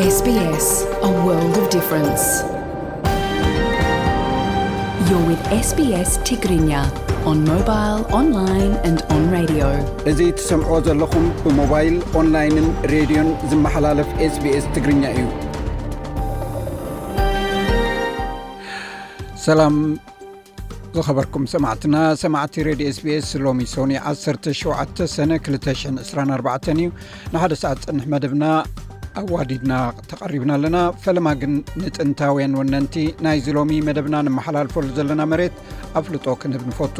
S B S, a world of difference. You're with S B S Tigrinya on mobile, online and on radio. እዚ ትሰምዕዎ ዘለኹም ብሞባይል፣ ኦንላይንን ሬድዮን ዝመሓላለፍ SBS ትግርኛ እዩ። ሰላም ዝኸበርኩም ሰማዕትና፣ ሰማዕቲ ሬድዮ SBS፣ ሎሚ ሶኒ ዓሰርተ ሸውዓተ ሰነ ክልተ ሽሕን ዕስራን ኣርባዕተን እዩ። ንሓደ ሰዓት ዝጸንሕ መደብና ኣዋዲድና ተቐሪብና ኣለና። ፈለማ ግን ንጥንታውያን ወነንቲ ናይዚ ሎሚ መደብና ንመሓላልፈሉ ዘለና መሬት ኣፍልጦ ክንህብ ንፈቱ።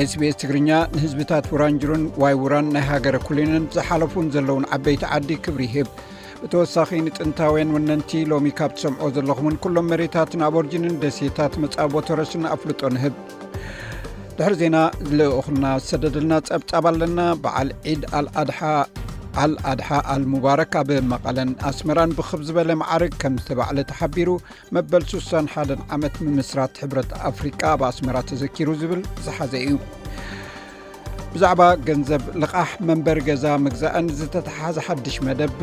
SBS ትግርኛ ንህዝብታት ውራንጅሩን ዋይ ውራን ናይ ሃገረ ኩሊንን ዝሓለፉን ዘለውን ዓበይቲ ዓዲ ክብሪ ይህብ። ብተወሳኺ ንጥንታውያን ወነንቲ ሎሚ ካብ ትሰምዖ ዘለኹምን ኩሎም መሬታትን ኣቦርጅንን ደሴታት መጻቦ ተረስን ኣፍልጦ ንህብ። ድሕሪ ዜና ልኡኽና ዝሰደደልና ጸብጻብ ኣለና። በዓል ዒድ ኣልኣድሓ ኣልኣድሓ ኣልሙባረክ ኣብ መቐለን ኣስመራን ብኽብ ዝበለ መዓርግ ከም ዝተባዕለ ተሓቢሩ። መበል ሱሳን ሓደን ዓመት ምምስራት ሕብረት ኣፍሪቃ ኣብ ኣስመራ ተዘኪሩ ዝብል ዝሓዘ እዩ። ብዛዕባ ገንዘብ ልቓሕ መንበሪ ገዛ ምግዛእን ዝተተሓሓዘ ሓድሽ መደብ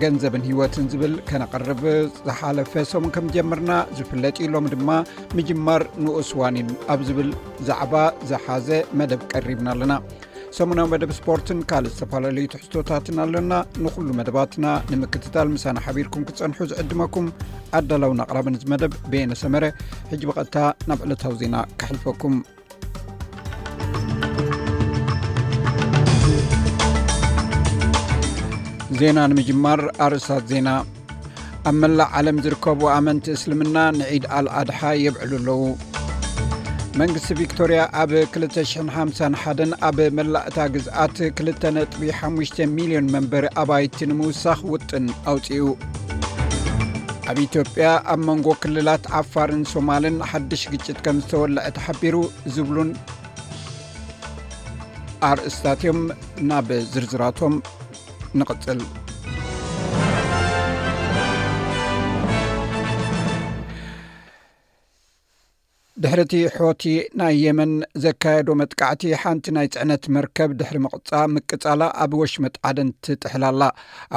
ገንዘብን ህይወትን ዝብል ከነቕርብ ዝሓለፈ ሰሙን ከም ጀመርና ዝፍለጥ እዩ። ሎሚ ድማ ምጅማር ንኡስ ዋኒን ኣብ ዝብል ዛዕባ ዝሓዘ መደብ ቀሪብና ኣለና። ሰሙናዊ መደብ ስፖርትን ካልእ ዝተፈላለዩ ትሕዝቶታትን ኣለና። ንኹሉ መደባትና ንምክትታል ምሳና ሓቢርኩም ክትጸንሑ ዝዕድመኩም ኣዳላውን ኣቕራብን እዚ መደብ በየነ ሰመረ። ሕጂ ብቐጥታ ናብ ዕለታዊ ዜና ከሕልፈኩም። ዜና ንምጅማር ኣርእስታት ዜና። ኣብ መላእ ዓለም ዝርከቡ ኣመንቲ እስልምና ንዒድ ኣልኣድሓ የብዕሉ ኣለዉ። መንግስቲ ቪክቶርያ ኣብ ክልተ ሽሕን ሓምሳን ሓደን ኣብ መላእ እታ ግዝኣት ክልተ ነጥቢ ሓሙሽተ ሚልዮን መንበሪ ኣባይቲ ንምውሳኽ ውጥን ኣውጺኡ። ኣብ ኢትዮጵያ ኣብ መንጎ ክልላት ዓፋርን ሶማልን ሓድሽ ግጭት ከም ዝተወልዐ ተሓቢሩ ዝብሉን ኣርእስታት እዮም። ናብ ዝርዝራቶም ንቕጽል። ድሕሪ እቲ ሖቲ ናይ የመን ዘካየዶ መጥቃዕቲ፣ ሓንቲ ናይ ጽዕነት መርከብ ድሕሪ ምቕጻ-፣ ምቅጻላ ኣብ ወሽመጥ ዓደን ትጥሕል ኣላ።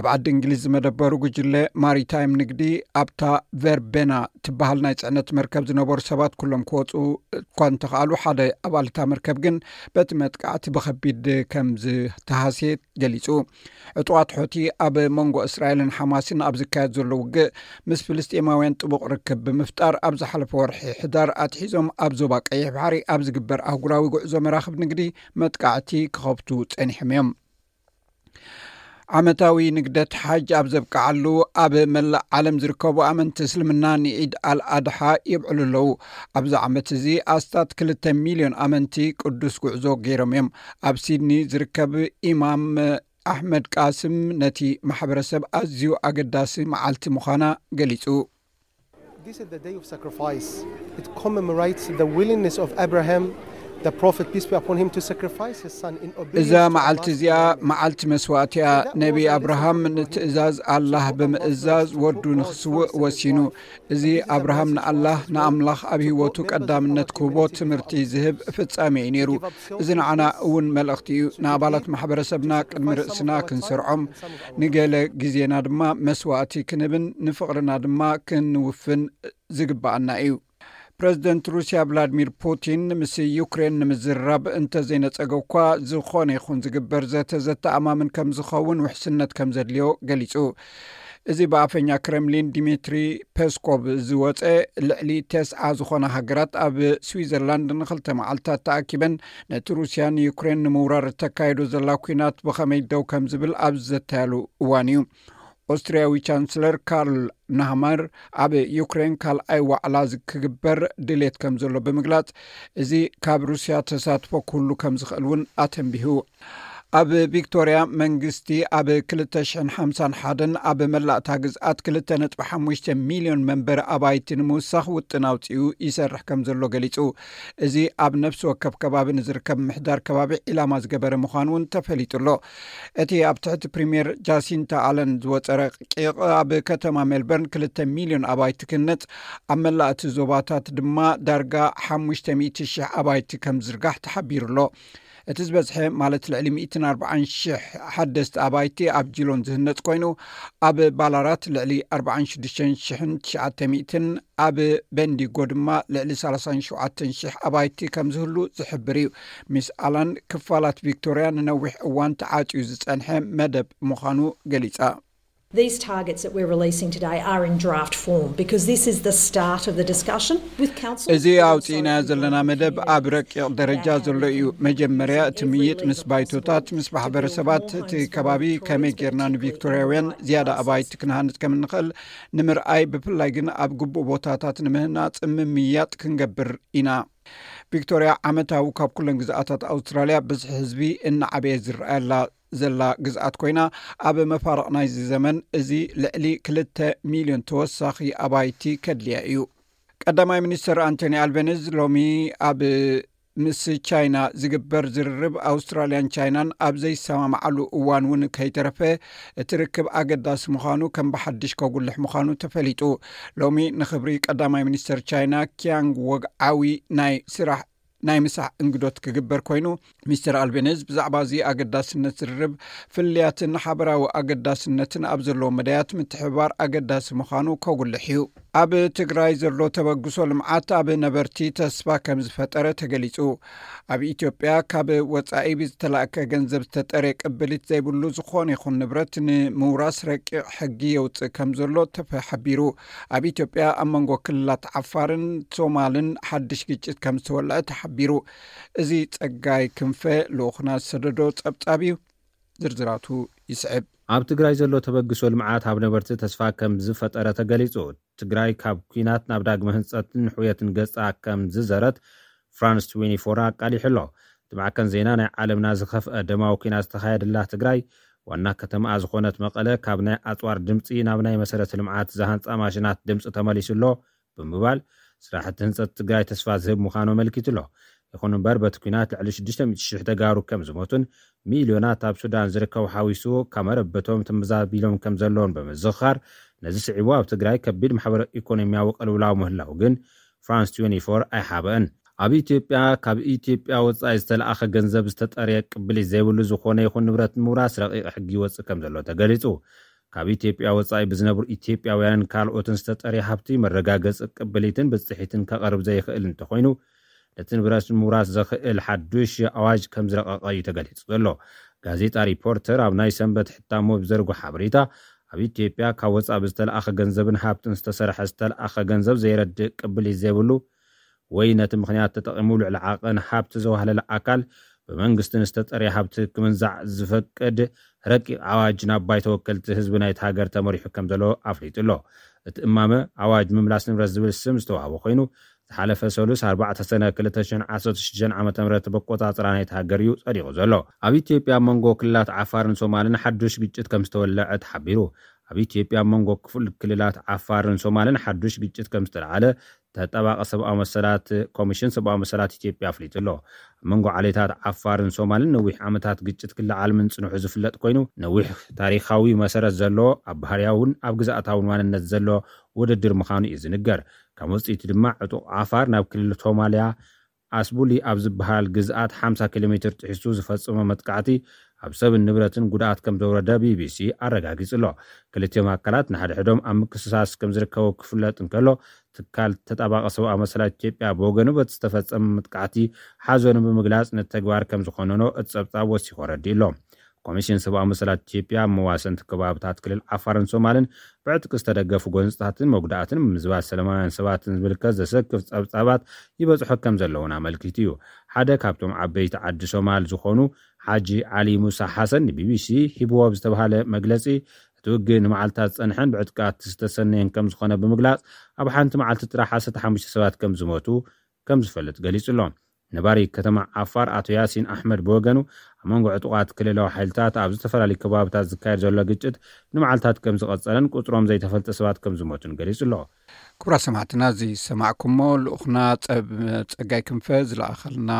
ኣብ ዓዲ እንግሊዝ ዝመደበሩ ጉጅለ ማሪታይም ንግዲ፣ ኣብታ ቨርቤና ትበሃል ናይ ጽዕነት መርከብ ዝነበሩ ሰባት ኩሎም ክወጹ እኳ እንተኸኣሉ፣ ሓደ ኣባል እታ መርከብ ግን በቲ መጥቃዕቲ ብኸቢድ ከም ዝተሃስየ ገሊጹ። ዕጡቓት ሖቲ ኣብ መንጎ እስራኤልን ሓማስን ኣብ ዝካየድ ዘሎ ውግእ፣ ምስ ፍልስጤማውያን ጥቡቕ ርክብ ብምፍጣር፣ ኣብ ዝሓለፈ ወርሒ ሕዳር ኣትሒዞም ኣብ ዞባ ቀይሕ ባሕሪ ኣብ ዝግበር ኣህጉራዊ ጉዕዞ መራኽብ ንግዲ መጥቃዕቲ ክኸፍቱ ጸኒሖም እዮም። ዓመታዊ ንግደት ሓጅ ኣብ ዘብቅዓሉ፣ ኣብ መላእ ዓለም ዝርከቡ ኣመንቲ እስልምና ንዒድ ኣልኣድሓ የብዕሉ ኣለዉ። ኣብዚ ዓመት እዚ ኣስታት ክልተ ሚልዮን ኣመንቲ ቅዱስ ጉዕዞ ገይሮም እዮም። ኣብ ሲድኒ ዝርከብ ኢማም ኣሕመድ ቃስም ነቲ ማሕበረሰብ ኣዝዩ ኣገዳሲ መዓልቲ ምዃና ገሊጹ። This is the day of sacrifice. It commemorates the willingness of Abraham, the Prophet, peace be upon him, to sacrifice his son in obedience እዛ to መዓልቲ Allah's እዚኣ commandment. መዓልቲ መስዋእቲ እያ። ነቢ ኣብርሃም ንትእዛዝ ኣላህ ብምእዛዝ ወዱ ንኽስውእ ወሲኑ። እዚ ኣብርሃም ንኣላህ፣ ንኣምላኽ ኣብ ህይወቱ ቀዳምነት ክህቦ ትምህርቲ ዝህብ ፍጻሜ እዩ ነይሩ። እዚ ንዓና እውን መልእኽቲ እዩ። ንኣባላት ማሕበረሰብና ቅድሚ ርእስና ክንሰርዖም፣ ንገለ ግዜና ድማ መስዋእቲ ክንህብን ንፍቕርና ድማ ክንውፍን ዝግብኣና እዩ። ፕረዚደንት ሩስያ ቭላድሚር ፑቲን ምስ ዩክሬን ንምዝርራብ እንተዘይነጸገ እኳ፣ ዝኾነ ይኹን ዝግበር ዘተ ዘተኣማምን ከም ዝኸውን ውሕስነት ከም ዘድልዮ ገሊጹ። እዚ ብኣፈኛ ክረምሊን ዲሚትሪ ፔስኮቭ ዝወጸ፣ ልዕሊ ተስዓ ዝኾና ሃገራት ኣብ ስዊዘርላንድ ንኽልተ መዓልታት ተኣኪበን ነቲ ሩስያ ንዩክሬን ንምውራር እተካይዶ ዘላ ኲናት ብኸመይ ደው ከም ዝብል ኣብ ዝዘተያሉ እዋን እዩ። ኦስትርያዊ ቻንስለር ካርል ናህመር ኣብ ዩክሬን ካልኣይ ዋዕላ ዝ-፣ ክግበር ድሌት ከም ዘሎ ብምግላጽ፣ እዚ ካብ ሩስያ ተሳትፎ ክህሉ ከም ዝኽእል እውን ኣተንቢሁ። ኣብ ቪክቶርያ፣ መንግስቲ ኣብ ክልተ ሽሕን ሓምሳን ሓደን ኣብ መላእታ ግዝኣት ክልተ ነጥቢ ሓሙሽተ ሚልዮን መንበሪ ኣባይቲ ንምውሳኽ ውጥን ኣውጺኡ ይሰርሕ ከም ዘሎ ገሊጹ። እዚ ኣብ ነፍሲ ወከፍ ከባቢ ንዝርከብ ምሕዳር ከባቢ ዒላማ ዝገበረ ምዃኑ እውን ተፈሊጡ ኣሎ። እቲ ኣብ ትሕቲ ፕሪምየር ጃሲንታ ኣለን ዝወጸ ረቂቕ፣ ኣብ ከተማ ሜልበርን ክልተ ሚልዮን ኣባይቲ ክህነጽ፣ ኣብ መላእ እቲ ዞባታት ድማ ዳርጋ ሓሙሽተ ሚእቲ ሽሕ ኣባይቲ ከም ዝርጋሕ ተሓቢሩ ኣሎ። እቲ ዝበዝሐ፣ ማለት ልዕሊ ሚእትን ኣርባዓን ሽሕ ሓደስቲ ኣባይቲ ኣብ ጂሎን ዝህነጽ ኮይኑ፣ ኣብ ባላራት ልዕሊ ኣርባዓን ሽዱሽተ ሽሕን ትሽዓተ ሚእትን፣ ኣብ በንዲጎ ድማ ልዕሊ ሰላሳን ሸውዓተን ሽሕ ኣባይቲ ከም ዝህሉ ዝሕብር እዩ። ሚስ ኣላን፣ ክፋላት ቪክቶርያ ንነዊሕ እዋን ተዓጽዩ ዝጸንሐ መደብ ምዃኑ ገሊጻ። These targets that we're releasing today are in draft form because this is the start of the discussion with council. እዚ ኣውፂእናዮ ዘለና መደብ ኣብ ረቂቕ ደረጃ ዘሎ እዩ። መጀመርያ እቲ ምይጥ ምስ ባይቶታት፣ ምስ ማሕበረሰባት እቲ ከባቢ፣ ከመይ ጌርና ንቪክቶርያውያን ዝያዳ ኣባይቲ ክንሃንፅ ከም እንኽእል ንምርኣይ፣ ብፍላይ ግን ኣብ ግቡእ ቦታታት ንምህናፅ ምምያጥ ክንገብር ኢና። ቪክቶርያ ዓመታዊ ካብ ኩለን ግዝኣታት ኣውስትራልያ ብዝሒ ህዝቢ እናዓበየ ዝረኣየላ ዘላ ግዝኣት ኮይና፣ ኣብ መፋርቕ ናይዚ ዘመን እዚ ልዕሊ ክልተ ሚልዮን ተወሳኺ ኣባይቲ ከድልያ እዩ። ቀዳማይ ሚኒስትር ኣንቶኒ ኣልቤኒዝ ሎሚ ኣብ ምስ ቻይና ዝግበር ዝርርብ ኣውስትራልያን ቻይናን ኣብ ዘይሰማማዓሉ እዋን እውን ከይተረፈ እቲ ርክብ ኣገዳሲ ምዃኑ ከም ብሓድሽ ከጉልሕ ምዃኑ ተፈሊጡ። ሎሚ ንኽብሪ ቀዳማይ ሚኒስተር ቻይና ኪያንግ ወግዓዊ ናይ ስራሕ ናይ ምሳሕ እንግዶት ክግበር ኮይኑ፣ ሚስተር ኣልቤኒዝ ብዛዕባ እዚ ኣገዳስነት ዝርርብ ፍልያትን ሓበራዊ ኣገዳስነትን ኣብ ዘለዎ መዳያት ምትሕብባር ኣገዳሲ ምዃኑ ከጉልሕ እዩ። ኣብ ትግራይ ዘሎ ተበግሶ ልምዓት ኣብ ነበርቲ ተስፋ ከም ዝፈጠረ ተገሊጹ። ኣብ ኢትዮጵያ ካብ ወጻኢ ብዝተላእከ ገንዘብ ዝተጠርየ ቅብሊት ዘይብሉ ዝኾነ ይኹን ንብረት ንምውራስ ረቂቕ ሕጊ የውጽእ ከም ዘሎ ተፈ-፣ ሓቢሩ። ኣብ ኢትዮጵያ ኣብ መንጎ ክልላት ዓፋርን ሶማልን ሓድሽ ግጭት ከም ዝተወልዐ ተሓቢሩ። እዚ ጸጋይ ክንፈ ልኡኽና ዝሰደዶ ጸብጻብ እዩ። ዝርዝራቱ ይስዕብ። ኣብ ትግራይ ዘሎ ተበግሶ ልምዓት ኣብ ነበርቲ ተስፋ ከም ዝፈጠረ ተገሊጹ። ትግራይ ካብ ኲናት ናብ ዳግመ ህንጸትን ሕውየትን ገጻ ከም ዝዘረት ፍራንስ ትዌንቲ ፎር ኣቃሊሑ ኣሎ። እቲ ማዕከን ዜና ናይ ዓለምና ዝኸፍአ ደማዊ ኲናት ዝተኻየደላ ትግራይ ዋና ከተማኣ ዝኾነት መቐለ ካብ ናይ ኣጽዋር ድምጺ ናብ ናይ መሰረተ ልምዓት ዝሃንጻ ማሽናት ድምጺ ተመሊሱ ኣሎ ብምባል ስራሕቲ ህንጸት ትግራይ ተስፋ ዝህብ ምዃኑ ኣመልኪቱ ኣሎ። ይኹን እምበር በቲ ኲናት ልዕሊ ሽዱሽተ ሚእቲ ሽሕ ተጋሩ ከም ዝሞቱን ሚልዮናት ኣብ ሱዳን ዝርከቡ ሓዊሱ ካብ መረበቶም ተመዛቢሎም ከም ዘለውን ብምዝኽኻር ነዚ ስዒቡ ኣብ ትግራይ ከቢድ ማሕበረ ኢኮኖሚያዊ ቅልውላው ምህላው ግን ፍራንስ ትዌንቲ ፎር ኣይሓበአን። ኣብ ኢትዮጵያ ካብ ኢትዮጵያ ወጻኢ ዝተለኣኸ ገንዘብ ዝተጠርየ ቅብሊት ዘይብሉ ዝኾነ ይኹን ንብረት ንምውራስ ረቂቕ ሕጊ ይወጽእ ከም ዘሎ ተገሊጹ። ካብ ኢትዮጵያ ወጻኢ ብዝነብሩ ኢትዮጵያውያንን ካልኦትን ዝተጠርየ ሃብቲ መረጋገጺ ቅብሊትን ብጽሒትን ከቐርብ ዘይኽእል እንተኾይኑ ነቲ ንብረት ንምውራስ ዘኽእል ሓዱሽ ኣዋጅ ከም ዝረቐቐ እዩ ተገሊጹ ዘሎ። ጋዜጣ ሪፖርተር ኣብ ናይ ሰንበት ሕታሙ ብዘርጎ ሓበሬታ ኣብ ኢትዮጵያ ካብ ወጻኢ ብዝተለኣኸ ገንዘብን ሃብትን ዝተሰርሐ ዝተለኣኸ ገንዘብ ዘይረድእ ቅብሊት ዘይብሉ ወይ ነቲ ምኽንያት ተጠቒሙ ልዕሊ ዓቐን ሃብቲ ዘዋህለለ ኣካል ብመንግስቲ ንዝተጠርየ ሃብቲ ክምንዛዕ ዝፈቅድ ረቂቕ ኣዋጅ ናብ ባይቶ ወከልቲ ህዝቢ ናይቲ ሃገር ተመሪሑ ከም ዘሎ ኣፍሊጡ ኣሎ። እቲ እማመ ኣዋጅ ምምላስ ንብረት ዝብል ስም ዝተዋህቦ ኮይኑ ዝሓለፈ ሰሉስ ኣርባዕተ ሰነ ክልተ ሽሕን ዓሰርተ ሽዱሽተን ዓመተ ምህረት በቆጻጽራ ናይቲ ሃገር እዩ ጸዲቑ ዘሎ። ኣብ ኢትዮጵያ ኣብ መንጎ ክልላት ዓፋርን ሶማልን ሓዱሽ ግጭት ከም ዝተወለዐ ተሓቢሩ። ኣብ ኢትዮጵያ ኣብ መንጎ ክፍል ክልላት ዓፋርን ሶማልን ሓዱሽ ግጭት ከም ዝተለዓለ ተጣባቂ ሰብኣዊ መሰላት ኮሚሽን ሰብኣዊ መሰላት ኢትዮጵያ ኣፍሊጡ ኣሎ። ኣብ መንጎ ዓሌታት ዓፋርን ሶማልን ነዊሕ ዓመታት ግጭት ክለዓል ምንጽንሑ ዝፍለጥ ኮይኑ ነዊሕ ታሪኻዊ መሰረት ዘለዎ ኣብ ባህርያውን ኣብ ግዝኣታውን ማንነት ዘለዎ ውድድር ምዃኑ እዩ ዝንገር። ካብ ውፅኢቱ ድማ ዕጡቕ ዓፋር ናብ ክልል ሶማልያ ኣስቡሊ ኣብ ዝበሃል ግዝኣት ሓምሳ ኪሎ ሜትር ጥሒሱ ዝፈጸሞ መጥቃዕቲ ኣብ ሰብን ንብረትን ጉድኣት ከም ዘውረደ ቢቢሲ ኣረጋጊጹ ኣሎ። ክልቲኦም ኣካላት ንሓድሕዶም ኣብ ምክስሳስ ከም ዝርከቡ ክፍለጥ እንከሎ ትካል ተጣባቂ ሰብኣዊ መሰላት ኢትዮጵያ ብወገኑ በቲ ዝተፈጸመ መጥቃዕቲ ሓዘኑ ብምግላጽ ነቲ ተግባር ከም ዝኾነኖ እቲ ጸብጻብ ወሲኹ ኣረዲኡ ኣሎ። ኮሚሽን ሰብኣዊ መሰላት ኢትዮጵያ ኣብ መዋሰንቲ ከባብታት ክልል ዓፋርን ሶማልን ብዕጥቂ ዝተደገፉ ጎንፅታትን መጉዳእትን ምምዝባል ሰላማውያን ሰባትን ዝምልከት ዘሰክፍ ፀብፃባት ይበፅሖ ከም ዘለውን ኣመልኪቱ እዩ። ሓደ ካብቶም ዓበይቲ ዓዲ ሶማል ዝኾኑ ሓጂ ዓሊ ሙሳ ሓሰን ንቢቢሲ ሂብዎ ብዝተባሃለ መግለፂ እቲ ውግእ ንመዓልታት ዝፀንሐን ብዕጥቃት ዝተሰነየን ከም ዝኾነ ብምግላፅ ኣብ ሓንቲ መዓልቲ ጥራሕ ዓሰርተ ሓሙሽተ ሰባት ከም ዝሞቱ ከም ዝፈልጥ ገሊጹ ኣሎ። ነባሪ ከተማ ዓፋር ኣቶ ያሲን ኣሕመድ ብወገኑ ኣብ መንጎ ዕጡቓት ክልላዊ ሓይልታት ኣብ ዝተፈላለዩ ከባብታት ዝካየድ ዘሎ ግጭት ንመዓልታት ከም ዝቐጸለን ቁጽሮም ዘይተፈልጠ ሰባት ከም ዝሞቱን ገሊጹ ኣሎ። ክቡራት ሰማዕትና፣ እዚ ዝሰማዕኩሞ ልኡኽና ጸብ-፣ ጸጋይ ክንፈ ዝለኣኸልና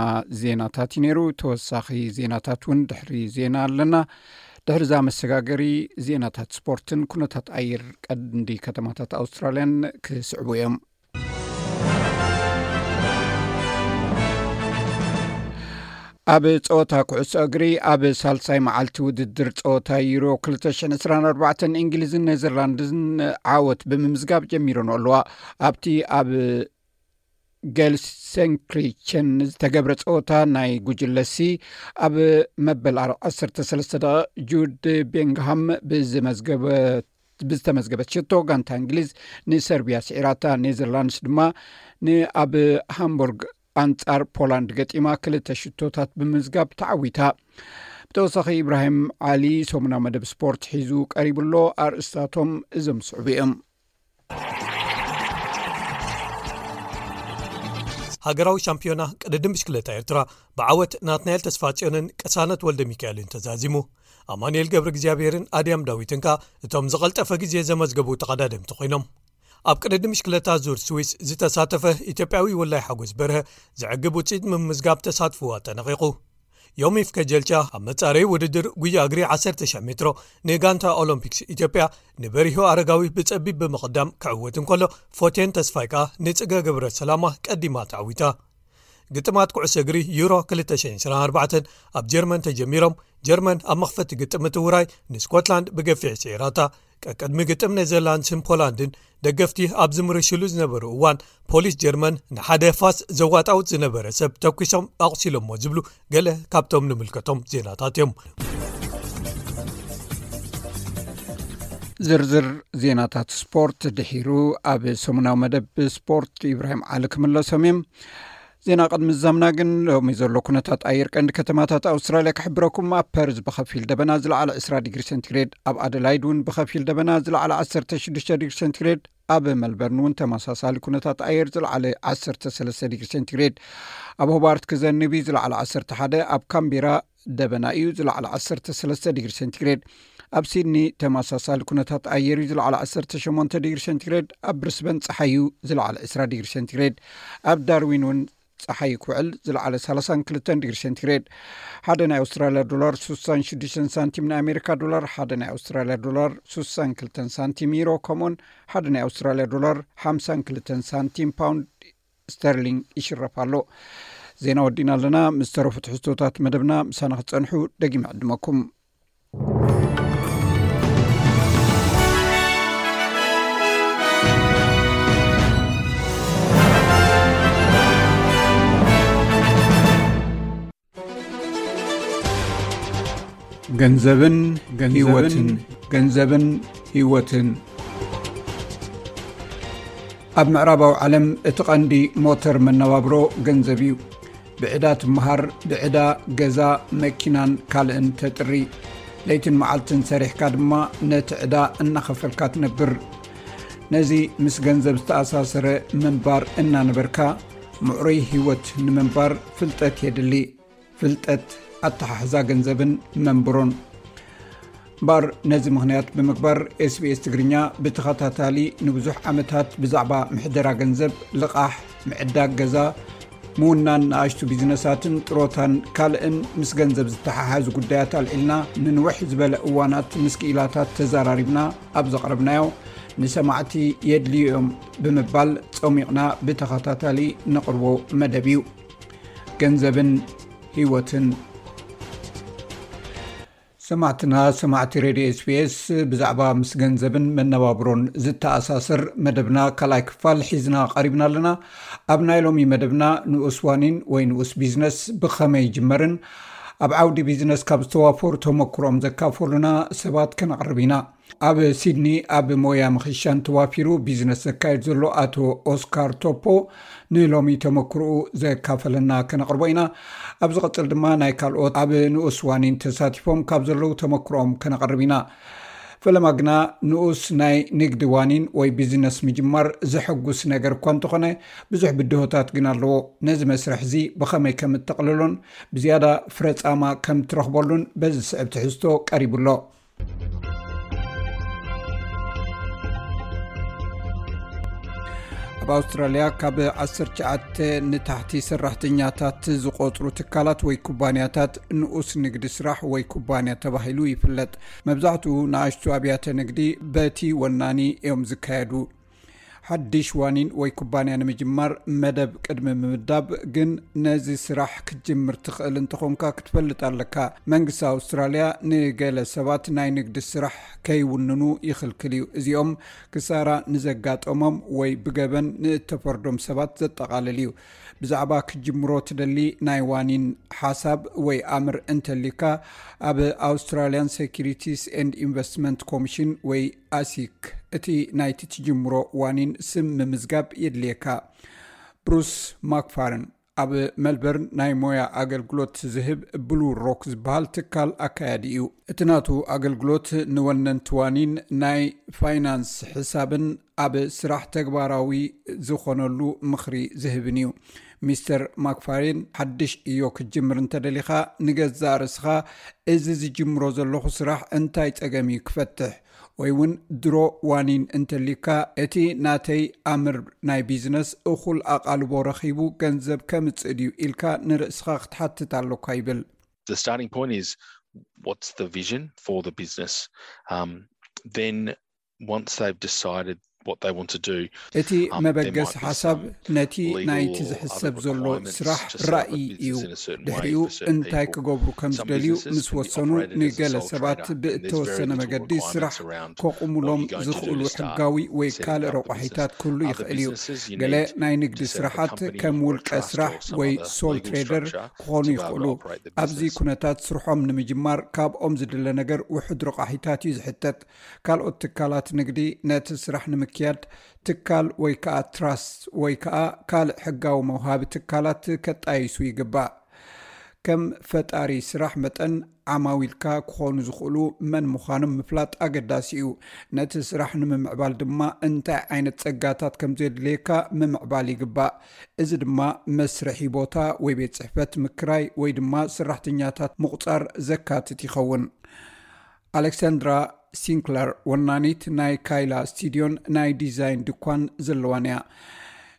ዜናታት እዩ ነይሩ። ተወሳኺ ዜናታት እውን ድሕሪ ዜና ኣለና። ድሕሪ እዛ መሰጋገሪ ዜናታት ስፖርትን ኩነታት ኣየር ቀንዲ ከተማታት ኣውስትራልያን ክስዕቡ እዮም። ኣብ ጸወታ ኩዕሶ እግሪ፣ ኣብ ሳልሳይ መዓልቲ ውድድር ጸወታ ዩሮ ክልተ ሽሕን ዕስራን ኣርባዕተን፣ እንግሊዝን ኔዘርላንድን ዓወት ብምምዝጋብ ጀሚረን ኣለዋ። ኣብቲ ኣብ ጌልሰንክሪቸን ዝተገብረ ጸወታ ናይ ጉጅለ ሲ፣ ኣብ መበል ዓሰርተ ሰለስተ ደቂቕ ጁድ ቤንግሃም ብዝመዝገበ ብዝተመዝገበት ሽቶ፣ ጋንታ እንግሊዝ ንሰርቢያ ስዒራታ። ኔዘርላንድስ ድማ ንኣብ ሃምቡርግ ኣንጻር ፖላንድ ገጢማ ክልተ ሽቶታት ብምምዝጋብ ተዓዊታ። ብተወሳኺ፣ ኢብራሂም ዓሊ ሰሙናዊ መደብ ስፖርት ሒዙ ቀሪቡ ኣሎ። ኣርእስታቶም እዞም ዝስዕቡ እዮም። ሃገራዊ ሻምፒዮና ቅድድም ብሽክለታ ኤርትራ ብዓወት ናትናኤል ተስፋጽዮንን ቅሳነት ወልደ ሚካኤልን ተዛዚሙ። ኣማኑኤል ገብረ እግዚኣብሔርን ኣድያም ዳዊትን ከኣ እቶም ዝቐልጠፈ ግዜ ዘመዝገቡ ተቐዳደምቲ ኮይኖም። ኣብ ቅድድም ብሽክለታ ዙር ስዊስ ዝተሳተፈ ኢትዮጵያዊ ወላይ ሓጎስ በርሀ ዘዕግብ ውጽኢት ምምዝጋብ ተሳትፎ ኣጠናቒቑ። ዮሚፍ ከጀልቻ ኣብ መጻረዪ ውድድር ጉያ እግሪ ዓሰርተ ሺሕ ሜትሮ ንጋንታ ኦሎምፒክስ ኢትዮጵያ ንበሪሁ ኣረጋዊ ብጸቢብ ብምቕዳም ክዕወት እንከሎ፣ ፎቴን ተስፋይ ከኣ ንጽገ ገብረ ሰላማ ቀዲማ ተዓዊታ። ግጥማት ኩዕሶ እግሪ ዩሮ ክልተ ሽሕን ዕስራን ኣርባዕተን ኣብ ጀርመን ተጀሚሮም። ጀርመን ኣብ መኽፈቲ ግጥም እቲ ውራይ ንስኮትላንድ ብገፊሕ ስዒራታ። ቀቅድሚ ግጥም ኔዘርላንድስን ፖላንድን ደገፍቲ ኣብ ዝምርሽሉ ዝነበሩ እዋን፣ ፖሊስ ጀርመን ንሓደ ፋስ ዘዋጣውጥ ዝነበረ ሰብ ተኩሶም ኣቑሲሎሞ ዝብሉ ገለ ካብቶም ንምልከቶም ዜናታት እዮም። ዝርዝር ዜናታት ስፖርት ድሒሩ ኣብ ሰሙናዊ መደብ ስፖርት ኢብራሂም ዓሊ ክምለሶም እዮም። ዜና ቅድሚ ዝዛምና ግን፣ ሎሚ ዘሎ ኩነታት ኣየር ቀንዲ ከተማታት ኣውስትራልያ ክሕብረኩም። ኣብ ፐርዝ ብኸፊል ደበና፣ ዝለዓለ ዕስራ ዲግሪ ሴንቲግሬድ፣ ኣብ ኣደላይድ እውን ብኸፊል ደበና፣ ዝለዓለ ዓሰርተ ሽዱሽተ ዲግሪ ሴንቲግሬድ፣ ኣብ መልበርን እውን ተመሳሳሊ ኩነታት ኣየር፣ ዝለዓለ ዓሰርተ ሰለስተ ዲግሪ ሴንቲግሬድ፣ ኣብ ሆባርት ክዘንብ እዩ፣ ዝለዓለ ዓሰርተ ሓደ፣ ኣብ ካምቤራ ደበና እዩ፣ ዝለዓለ ዓሰርተ ሰለስተ ዲግሪ ሴንቲግሬድ፣ ኣብ ሲድኒ ተመሳሳሊ ኩነታት ኣየር እዩ፣ ዝለዓለ ዓሰርተ ሸሞንተ ዲግሪ ሴንቲግሬድ፣ ኣብ ብሪስበን ጸሓይ እዩ፣ ዝለዓለ ዕስራ ዲግሪ ሴንቲግሬድ፣ ኣብ ዳርዊን እውን ጸሓይ ክውዕል፣ ዝለዓለ ሰላሳን ክልተን ዲግሪ ሴንቲግሬድ። ሓደ ናይ ኣውስትራልያ ዶላር ስሳን ሽዱሽተን ሳንቲም፣ ናይ ኣሜሪካ ዶላር ሓደ ናይ ኣውስትራልያ ዶላር ስሳን ክልተን ሳንቲም፣ ዩሮ ከምኡን ሓደ ናይ ኣውስትራልያ ዶላር ሓምሳን ክልተን ሳንቲም፣ ፓውንድ ስተርሊንግ ይሽረፍ ኣሎ። ዜና ወዲና ኣለና። ምስ ተረፉ ትሕዝቶታት መደብና ምሳና ክትጸንሑ ደጊመ ዕድመኩም። ገንዘብን ገንዘብን ህይወትን። ገንዘብን ህይወትን። ኣብ ምዕራባዊ ዓለም እቲ ቀንዲ ሞተር መነባብሮ ገንዘብ እዩ። ብዕዳ ትመሃር፣ ብዕዳ ገዛ፣ መኪናን ካልእን ተጥሪ። ለይትን መዓልትን ሰሪሕካ ድማ ነቲ ዕዳ እናኸፈልካ ትነብር። ነዚ ምስ ገንዘብ ዝተኣሳሰረ ምንባር እናነበርካ፣ ምዕሩይ ህይወት ንምንባር ፍልጠት የድሊ። ፍልጠት፣ ኣተሓሕዛ ገንዘብን መንብሮን። እምበኣር ነዚ ምኽንያት ብምግባር፣ ኤስቢኤስ ትግርኛ ብተኸታታሊ ንብዙሕ ዓመታት ብዛዕባ ምሕደራ ገንዘብ፣ ልቓሕ፣ ምዕዳግ ገዛ፣ ምውናን ንኣሽቱ ቢዝነሳትን ጥሮታን ካልእን ምስ ገንዘብ ዝተሓሓዙ ጉዳያት ኣልዒልና ንንውሕ ዝበለ እዋናት ምስ ክኢላታት ተዘራሪብና ኣብ ዘቕረብናዮ፣ ንሰማዕቲ የድልዩ እዮም ብምባል ጸሚቕና ብተኸታታሊ ነቕርቦ መደብ እዩ። ገንዘብን ህይወትን። ሰማዕትና፣ ሰማዕቲ ሬድዮ ኤስቢኤስ፣ ብዛዕባ ምስ ገንዘብን መነባብሮን ዝተኣሳሰር መደብና ካልኣይ ክፋል ሒዝና ቀሪብና ኣለና። ኣብ ናይ ሎሚ መደብና፣ ንኡስ ዋኒን ወይ ንኡስ ቢዝነስ ብኸመይ ይጅመርን ኣብ ዓውዲ ቢዝነስ ካብ ዝተዋፈሩ ተመክሮኦም ዘካፈሉና ሰባት ከነቕርብ ኢና። ኣብ ሲድኒ ኣብ ሞያ ምኽሻን ተዋፊሩ ቢዝነስ ዘካየድ ዘሎ ኣቶ ኦስካር ቶፖ ንሎሚ ተመክሮኡ ዘካፈለና ከነቕርቦ ኢና። ኣብ ዝቕጽል ድማ ናይ ካልኦት ኣብ ንኡስ ዋኒን ተሳቲፎም ካብ ዘለዉ ተመክሮኦም ከነቕርብ ኢና። ፈለማ ግና ንኡስ ናይ ንግዲ ዋኒን ወይ ቢዝነስ ምጅማር ዘሐጉስ ነገር እኳ እንተኾነ፣ ብዙሕ ብድሆታት ግን ኣለዎ። ነዚ መስርሕ እዚ ብኸመይ ከም እተቕልሎን ብዝያዳ ፍረ ጻማ ከም ትረኽበሉን በዚ ዝስዕብ ትሕዝቶ ቀሪቡ ኣሎ። ኣብ ኣውስትራልያ ካብ ዓሰርተ ትሽዓተ ንታሕቲ ሰራሕተኛታት ዝቖጽሩ ትካላት ወይ ኩባንያታት ንኡስ ንግዲ ስራሕ ወይ ኩባንያ ተባሂሉ ይፍለጥ። መብዛሕትኡ ንኣሽቱ ኣብያተ ንግዲ በቲ ወናኒ እዮም ዝካየዱ። ሓድሽ ዋኒን ወይ ኩባንያ ንምጅማር መደብ ቅድሚ ምምዳብ ግን ነዚ ስራሕ ክትጅምር ትኽእል እንተኾንካ ክትፈልጥ ኣለካ። መንግስቲ ኣውስትራልያ ንገለ ሰባት ናይ ንግዲ ስራሕ ከይውንኑ ይኽልክል እዩ። እዚኦም ክሳራ ንዘጋጠሞም ወይ ብገበን ንእተፈርዶም ሰባት ዘጠቓልል እዩ። ብዛዕባ ክትጅምሮ ትደሊ ናይ ዋኒን ሓሳብ ወይ ኣምር እንተሊካ ኣብ Australian Securities and Investment Commission ወይ ኣሲክ እቲ ናይቲ ትጅምሮ ዋኒን ስም ምምዝጋብ የድልየካ። ብሩስ ማክፋርን ኣብ መልበርን ናይ ሞያ ኣገልግሎት ዝህብ ብሉ ሮክ ዝበሃል ትካል ኣካያዲ እዩ። እቲ ናቱ ኣገልግሎት ንወነንቲ ዋኒን ናይ ፋይናንስ ሕሳብን ኣብ ስራሕ ተግባራዊ ዝኾነሉ ምኽሪ ዝህብን እዩ። ሚስተር ማክፋሪን ሓድሽ እዮ ክትጅምር እንተደሊኻ ንገዛእ ርእስኻ እዚ ዝጅምሮ ዘለኹ ስራሕ እንታይ ጸገም እዩ ክፈትሕ ወይ እውን ድሮ ዋኒን እንተሊካ እቲ ናተይ ኣምር ናይ ቢዝነስ እኹል ኣቓልቦ ረኺቡ ገንዘብ ከምጽእ ድዩ ኢልካ ንርእስኻ ክትሓትት ኣሎካ ይብል። The starting point is what's the vision for the business? Um, then once they've decided what they want to do, እቲ መበገሲ ሓሳብ ነቲ ናይቲ ዝሕሰብ ዘሎ ስራሕ ራእይ እዩ። ድሕሪኡ እንታይ ክገብሩ ከም ዝደልዩ ምስ ወሰኑ ንገለ ሰባት ብእተወሰነ መገዲ ስራሕ ከቑሙሎም ዝኽእሉ ሕጋዊ ወይ ካልእ ረቋሒታት ክህሉ ይኽእል እዩ። ገለ ናይ ንግዲ ስራሓት ከም ውልቀ ስራሕ ወይ ሶል ትሬደር ክኾኑ ይኽእሉ። ኣብዚ ኩነታት ስርሖም ንምጅማር ካብኦም ዝድለ ነገር ውሑድ ረቋሒታት እዩ ዝሕተት። ካልኦት ትካላት ንግዲ ነቲ ስራሕ ንምክያድ ትካል ወይ ከዓ ትራስት ወይ ከዓ ካልእ ሕጋዊ መውሃቢ ትካላት ከጣይሱ ይግባእ። ከም ፈጣሪ ስራሕ መጠን ዓማዊልካ ክኾኑ ዝኽእሉ መን ምዃኖም ምፍላጥ ኣገዳሲ እዩ። ነቲ ስራሕ ንምምዕባል ድማ እንታይ ዓይነት ጸጋታት ከም ዘድልየካ ምምዕባል ይግባእ። እዚ ድማ መስርሒ ቦታ ወይ ቤት ጽሕፈት ምክራይ ወይ ድማ ሰራሕተኛታት ምቑጻር ዘካትት ይኸውን። ኣሌክሳንድራ ሲንክለር ወናኒት ናይ ካይላ ስቱድዮን ናይ ዲዛይን ድኳን ዘለዋን እያ።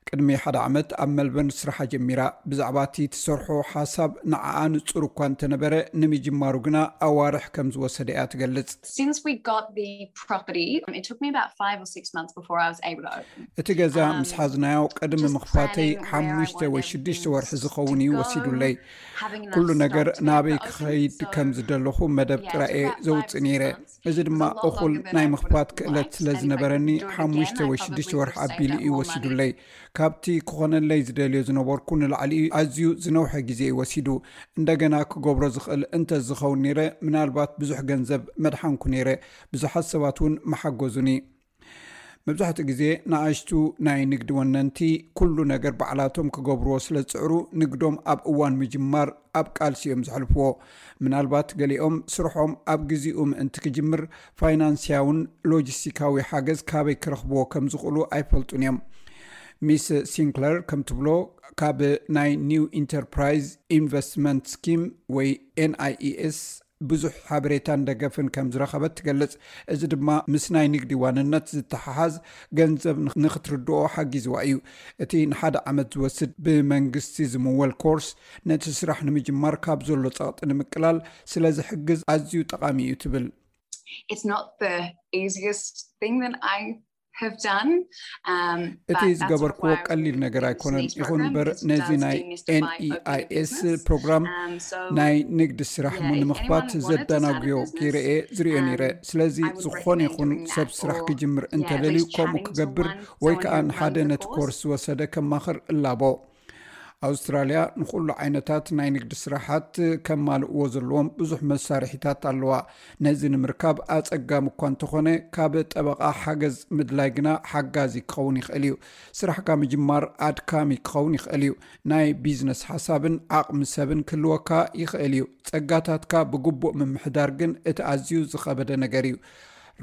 ቅድሚ ሓደ ዓመት ኣብ መልበርን ስራሓ ጀሚራ። ብዛዕባ እቲ ትሰርሖ ሓሳብ ንዓኣ ንጹር እኳ እንተነበረ ንምጅማሩ ግና ኣዋርሕ ከም ዝወሰደ እያ ትገልጽ። Since we got the property, it took me about five or six months before I was able to open. እቲ ገዛ ምስ ሓዝናዮ ቅድሚ ምኽፋተይ ሓሙሽተ ወይ ሽዱሽተ ወርሒ ዝኸውን እዩ ወሲዱለይ። ኩሉ ነገር ናበይ ክኸይድ ከም ዝደለኹ መደብ ጥራኤ ዘውፅእ ነይረ። እዚ ድማ እኹል ናይ ምኽፋት ክእለት ስለ ዝነበረኒ ሓሙሽተ ወይ ሽዱሽተ ወርሒ ኣቢሉ እዩ ወሲዱለይ። ካብቲ ክኾነለይ ዝደልዮ ዝነበርኩ ንላዕሊ ኣዝዩ ዝነውሐ ግዜ እዩ ወሲዱ። እንደገና ክገብሮ ዝኽእል እንተ ዝኸውን ነይረ ምናልባት ብዙሕ ገንዘብ መድሓንኩ ነይረ። ብዙሓት ሰባት እውን መሓገዙኒ። መብዛሕትኡ ግዜ ንኣሽቱ ናይ ንግዲ ወነንቲ ኩሉ ነገር ባዕላቶም ክገብርዎ ስለ ዝፅዕሩ ንግዶም ኣብ እዋን ምጅማር ኣብ ቃልሲ እዮም ዘሕልፍዎ። ምናልባት ገሊኦም ስርሖም ኣብ ግዜኡ ምእንቲ ክጅምር ፋይናንስያውን ሎጂስቲካዊ ሓገዝ ካበይ ክረኽብዎ ከም ዝኽእሉ ኣይፈልጡን እዮም። ሚስ ሲንክለር ከም ትብሎ ካብ ናይ ኒው ኢንተርፕራይዝ ኢንቨስትመንት ስኪም ወይ ኤንኣይኢኤስ ብዙሕ ሓበሬታን ደገፍን ከም ዝረኸበት ትገልጽ። እዚ ድማ ምስ ናይ ንግዲ ዋንነት ዝተሓሓዝ ገንዘብ ንኽትርድኦ ሓጊዝዋ እዩ። እቲ ንሓደ ዓመት ዝወስድ ብመንግስቲ ዝምወል ኮርስ ነቲ ስራሕ ንምጅማር ካብ ዘሎ ጸቕጢ ንምቅላል ስለ ዝሕግዝ ኣዝዩ ጠቓሚ እዩ ትብል። It's not the easiest thing that I have done. እቲ ዝገበርክዎ ቀሊል ነገር ኣይኮነን። ይኹን እምበር ነዚ ናይ ኤንኢኣይኤስ ፕሮግራም ናይ ንግዲ ስራሕ ንምኽፋት ዘደናጉዮ ገይረ እየ ዝርእዮ ነይረ። ስለዚ ዝኾነ ይኹን ሰብ ስራሕ ክጅምር እንተደልዩ ከምኡ ክገብር ወይ ከዓ ንሓደ ነቲ ኮርስ ዝወሰደ ከማኽር እላቦ። ኣውስትራልያ ንኹሉ ዓይነታት ናይ ንግዲ ስራሓት ከማልእዎ ዘለዎም ብዙሕ መሳርሒታት ኣለዋ። ነዚ ንምርካብ ኣጸጋሚ እኳ እንተኾነ ካብ ጠበቓ ሓገዝ ምድላይ ግና ሓጋዚ ክኸውን ይኽእል እዩ። ስራሕካ ምጅማር ኣድካሚ ክኸውን ይኽእል እዩ። ናይ ቢዝነስ ሓሳብን ዓቕሚ ሰብን ክህልወካ ይኽእል እዩ። ጸጋታትካ ብግቡእ ምምሕዳር ግን እቲ ኣዝዩ ዝኸበደ ነገር እዩ።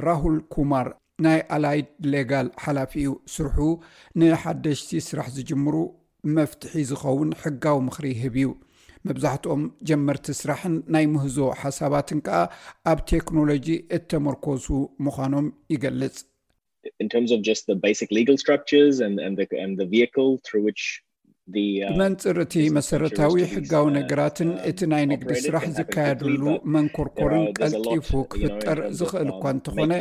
ራሁል ኩማር ናይ ኣላይድ ሌጋል ሓላፊ እዩ። ስርሑ ንሓደሽቲ ስራሕ ዝጅምሩ መፍትሒ ዝኸውን ሕጋዊ ምኽሪ ይህብ እዩ። መብዛሕትኦም ጀመርቲ ስራሕን ናይ ምህዞ ሓሳባትን ከኣ ኣብ ቴክኖሎጂ እተመርኮሱ ምዃኖም ይገልጽ። In terms of just the basic legal structures and, and, the, and the vehicle through which ብመንፅር እቲ መሰረታዊ ሕጋዊ ነገራትን እቲ ናይ ንግዲ ስራሕ ዝካየድሉ መንኮርኮርን ቀልጢፉ ክፍጠር ዝኽእል እኳ እንተኾነ፣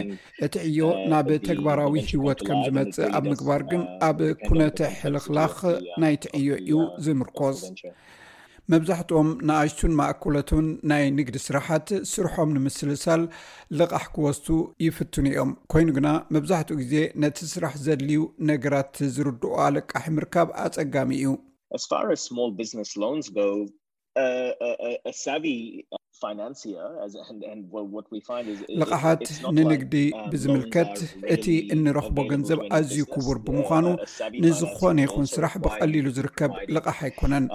እቲ ዕዮ ናብ ተግባራዊ ህይወት ከም ዝመጽእ ኣብ ምግባር ግን ኣብ ኩነተ ሕልኽላኽ ናይቲ ዕዮ እዩ ዝምርኮዝ። መብዛሕትኦም ንኣሽቱን ማእከሎትን ናይ ንግዲ ስራሓት ስርሖም ንምስልሳል ልቓሕ ክወስዱ ይፍትኑ እዮም። ኮይኑ ግና መብዛሕትኡ ግዜ ነቲ ስራሕ ዘድልዩ ነገራት ዝርድኦ ኣለቃሒ ምርካብ ኣጸጋሚ እዩ። As far as small business loans go, a, a, a savvy financier, as and, and what we find is ልቓሓት ንንግዲ ብዝምልከት እቲ እንረኽቦ ገንዘብ ኣዝዩ ክቡር ብምዃኑ ንዝኾነ ይኹን ስራሕ ብቐሊሉ ዝርከብ ልቓሕ ኣይኮነን።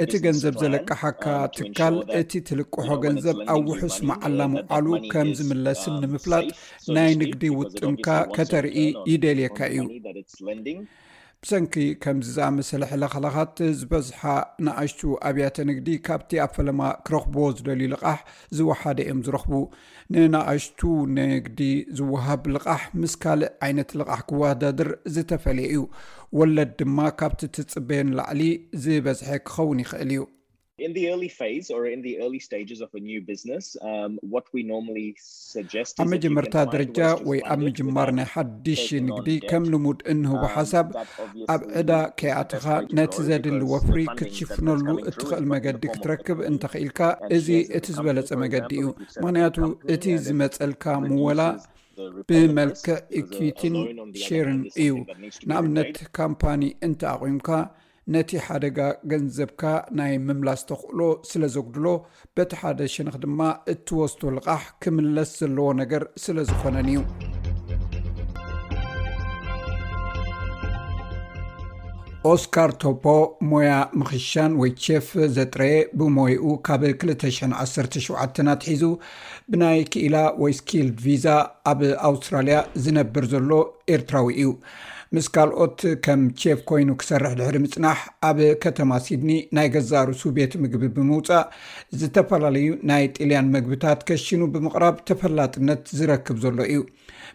እቲ ገንዘብ ዘለቃሓካ ትካል እቲ ትልቅሖ ገንዘብ ኣብ ውሑስ መዓላ ምውዓሉ ከም ዝምለስን ንምፍላጥ ናይ ንግዲ ውጥንካ ከተርኢ ይደልየካ እዩ። ብሰንኪ ከምዚ ዝኣመሰለ ሕለኽላኻት ዝበዝሓ ንኣሽቱ ኣብያተ ንግዲ ካብቲ ኣብ ፈለማ ክረኽብዎ ዝደልዩ ልቓሕ ዝወሓደ እዮም ዝረኽቡ። ንንኣሽቱ ንግዲ ዝወሃብ ልቓሕ ምስ ካልእ ዓይነት ልቓሕ ክወዳደር ዝተፈለየ እዩ። ወለድ ድማ ካብቲ ትጽበዮ ንላዕሊ ዝበዝሐ ክኸውን ይኽእል እዩ። In the early phase or in the early stages of a new business, um, what we normally suggest ኣብ መጀመርታ ደረጃ ወይ ኣብ ምጅማር ናይ ሓድሽ ንግዲ ከም ልሙድ እንህቦ ሓሳብ ኣብ ዕዳ ከይኣትኻ ነቲ ዘድሊ ወፍሪ ክትሽፍነሉ እትኽእል መገዲ ክትረክብ እንተኽኢልካ እዚ እቲ ዝበለጸ መገዲ እዩ። ምኽንያቱ እቲ ዝመጸልካ ምወላ ብመልክዕ ኢኩዊቲን ሼርን እዩ። ንኣብነት ካምፓኒ እንተ ኣቑምካ ነቲ ሓደጋ ገንዘብካ ናይ ምምላስ ተኽእሎ ስለ ዘጉድሎ፣ በቲ ሓደ ሸነኽ ድማ እትወስዶ ልቓሕ ክምለስ ዘለዎ ነገር ስለ ዝኾነን እዩ። ኦስካር ቶፖ ሞያ ምኽሻን ወይ ቼፍ ዘጥረየ፣ ብሞይኡ ካብ ክልተ ሽሕን ዓሰርተ ሸውዓተን ኣትሒዙ ብናይ ክኢላ ወይ ስኪልድ ቪዛ ኣብ ኣውስትራልያ ዝነብር ዘሎ ኤርትራዊ እዩ። ምስ ካልኦት ከም ቼፍ ኮይኑ ክሰርሕ ድሕሪ ምጽናሕ ኣብ ከተማ ሲድኒ ናይ ገዛእ ርእሱ ቤት ምግቢ ብምውጻእ ዝተፈላለዩ ናይ ጥልያን መግብታት ከሽኑ ብምቕራብ ተፈላጥነት ዝረክብ ዘሎ እዩ።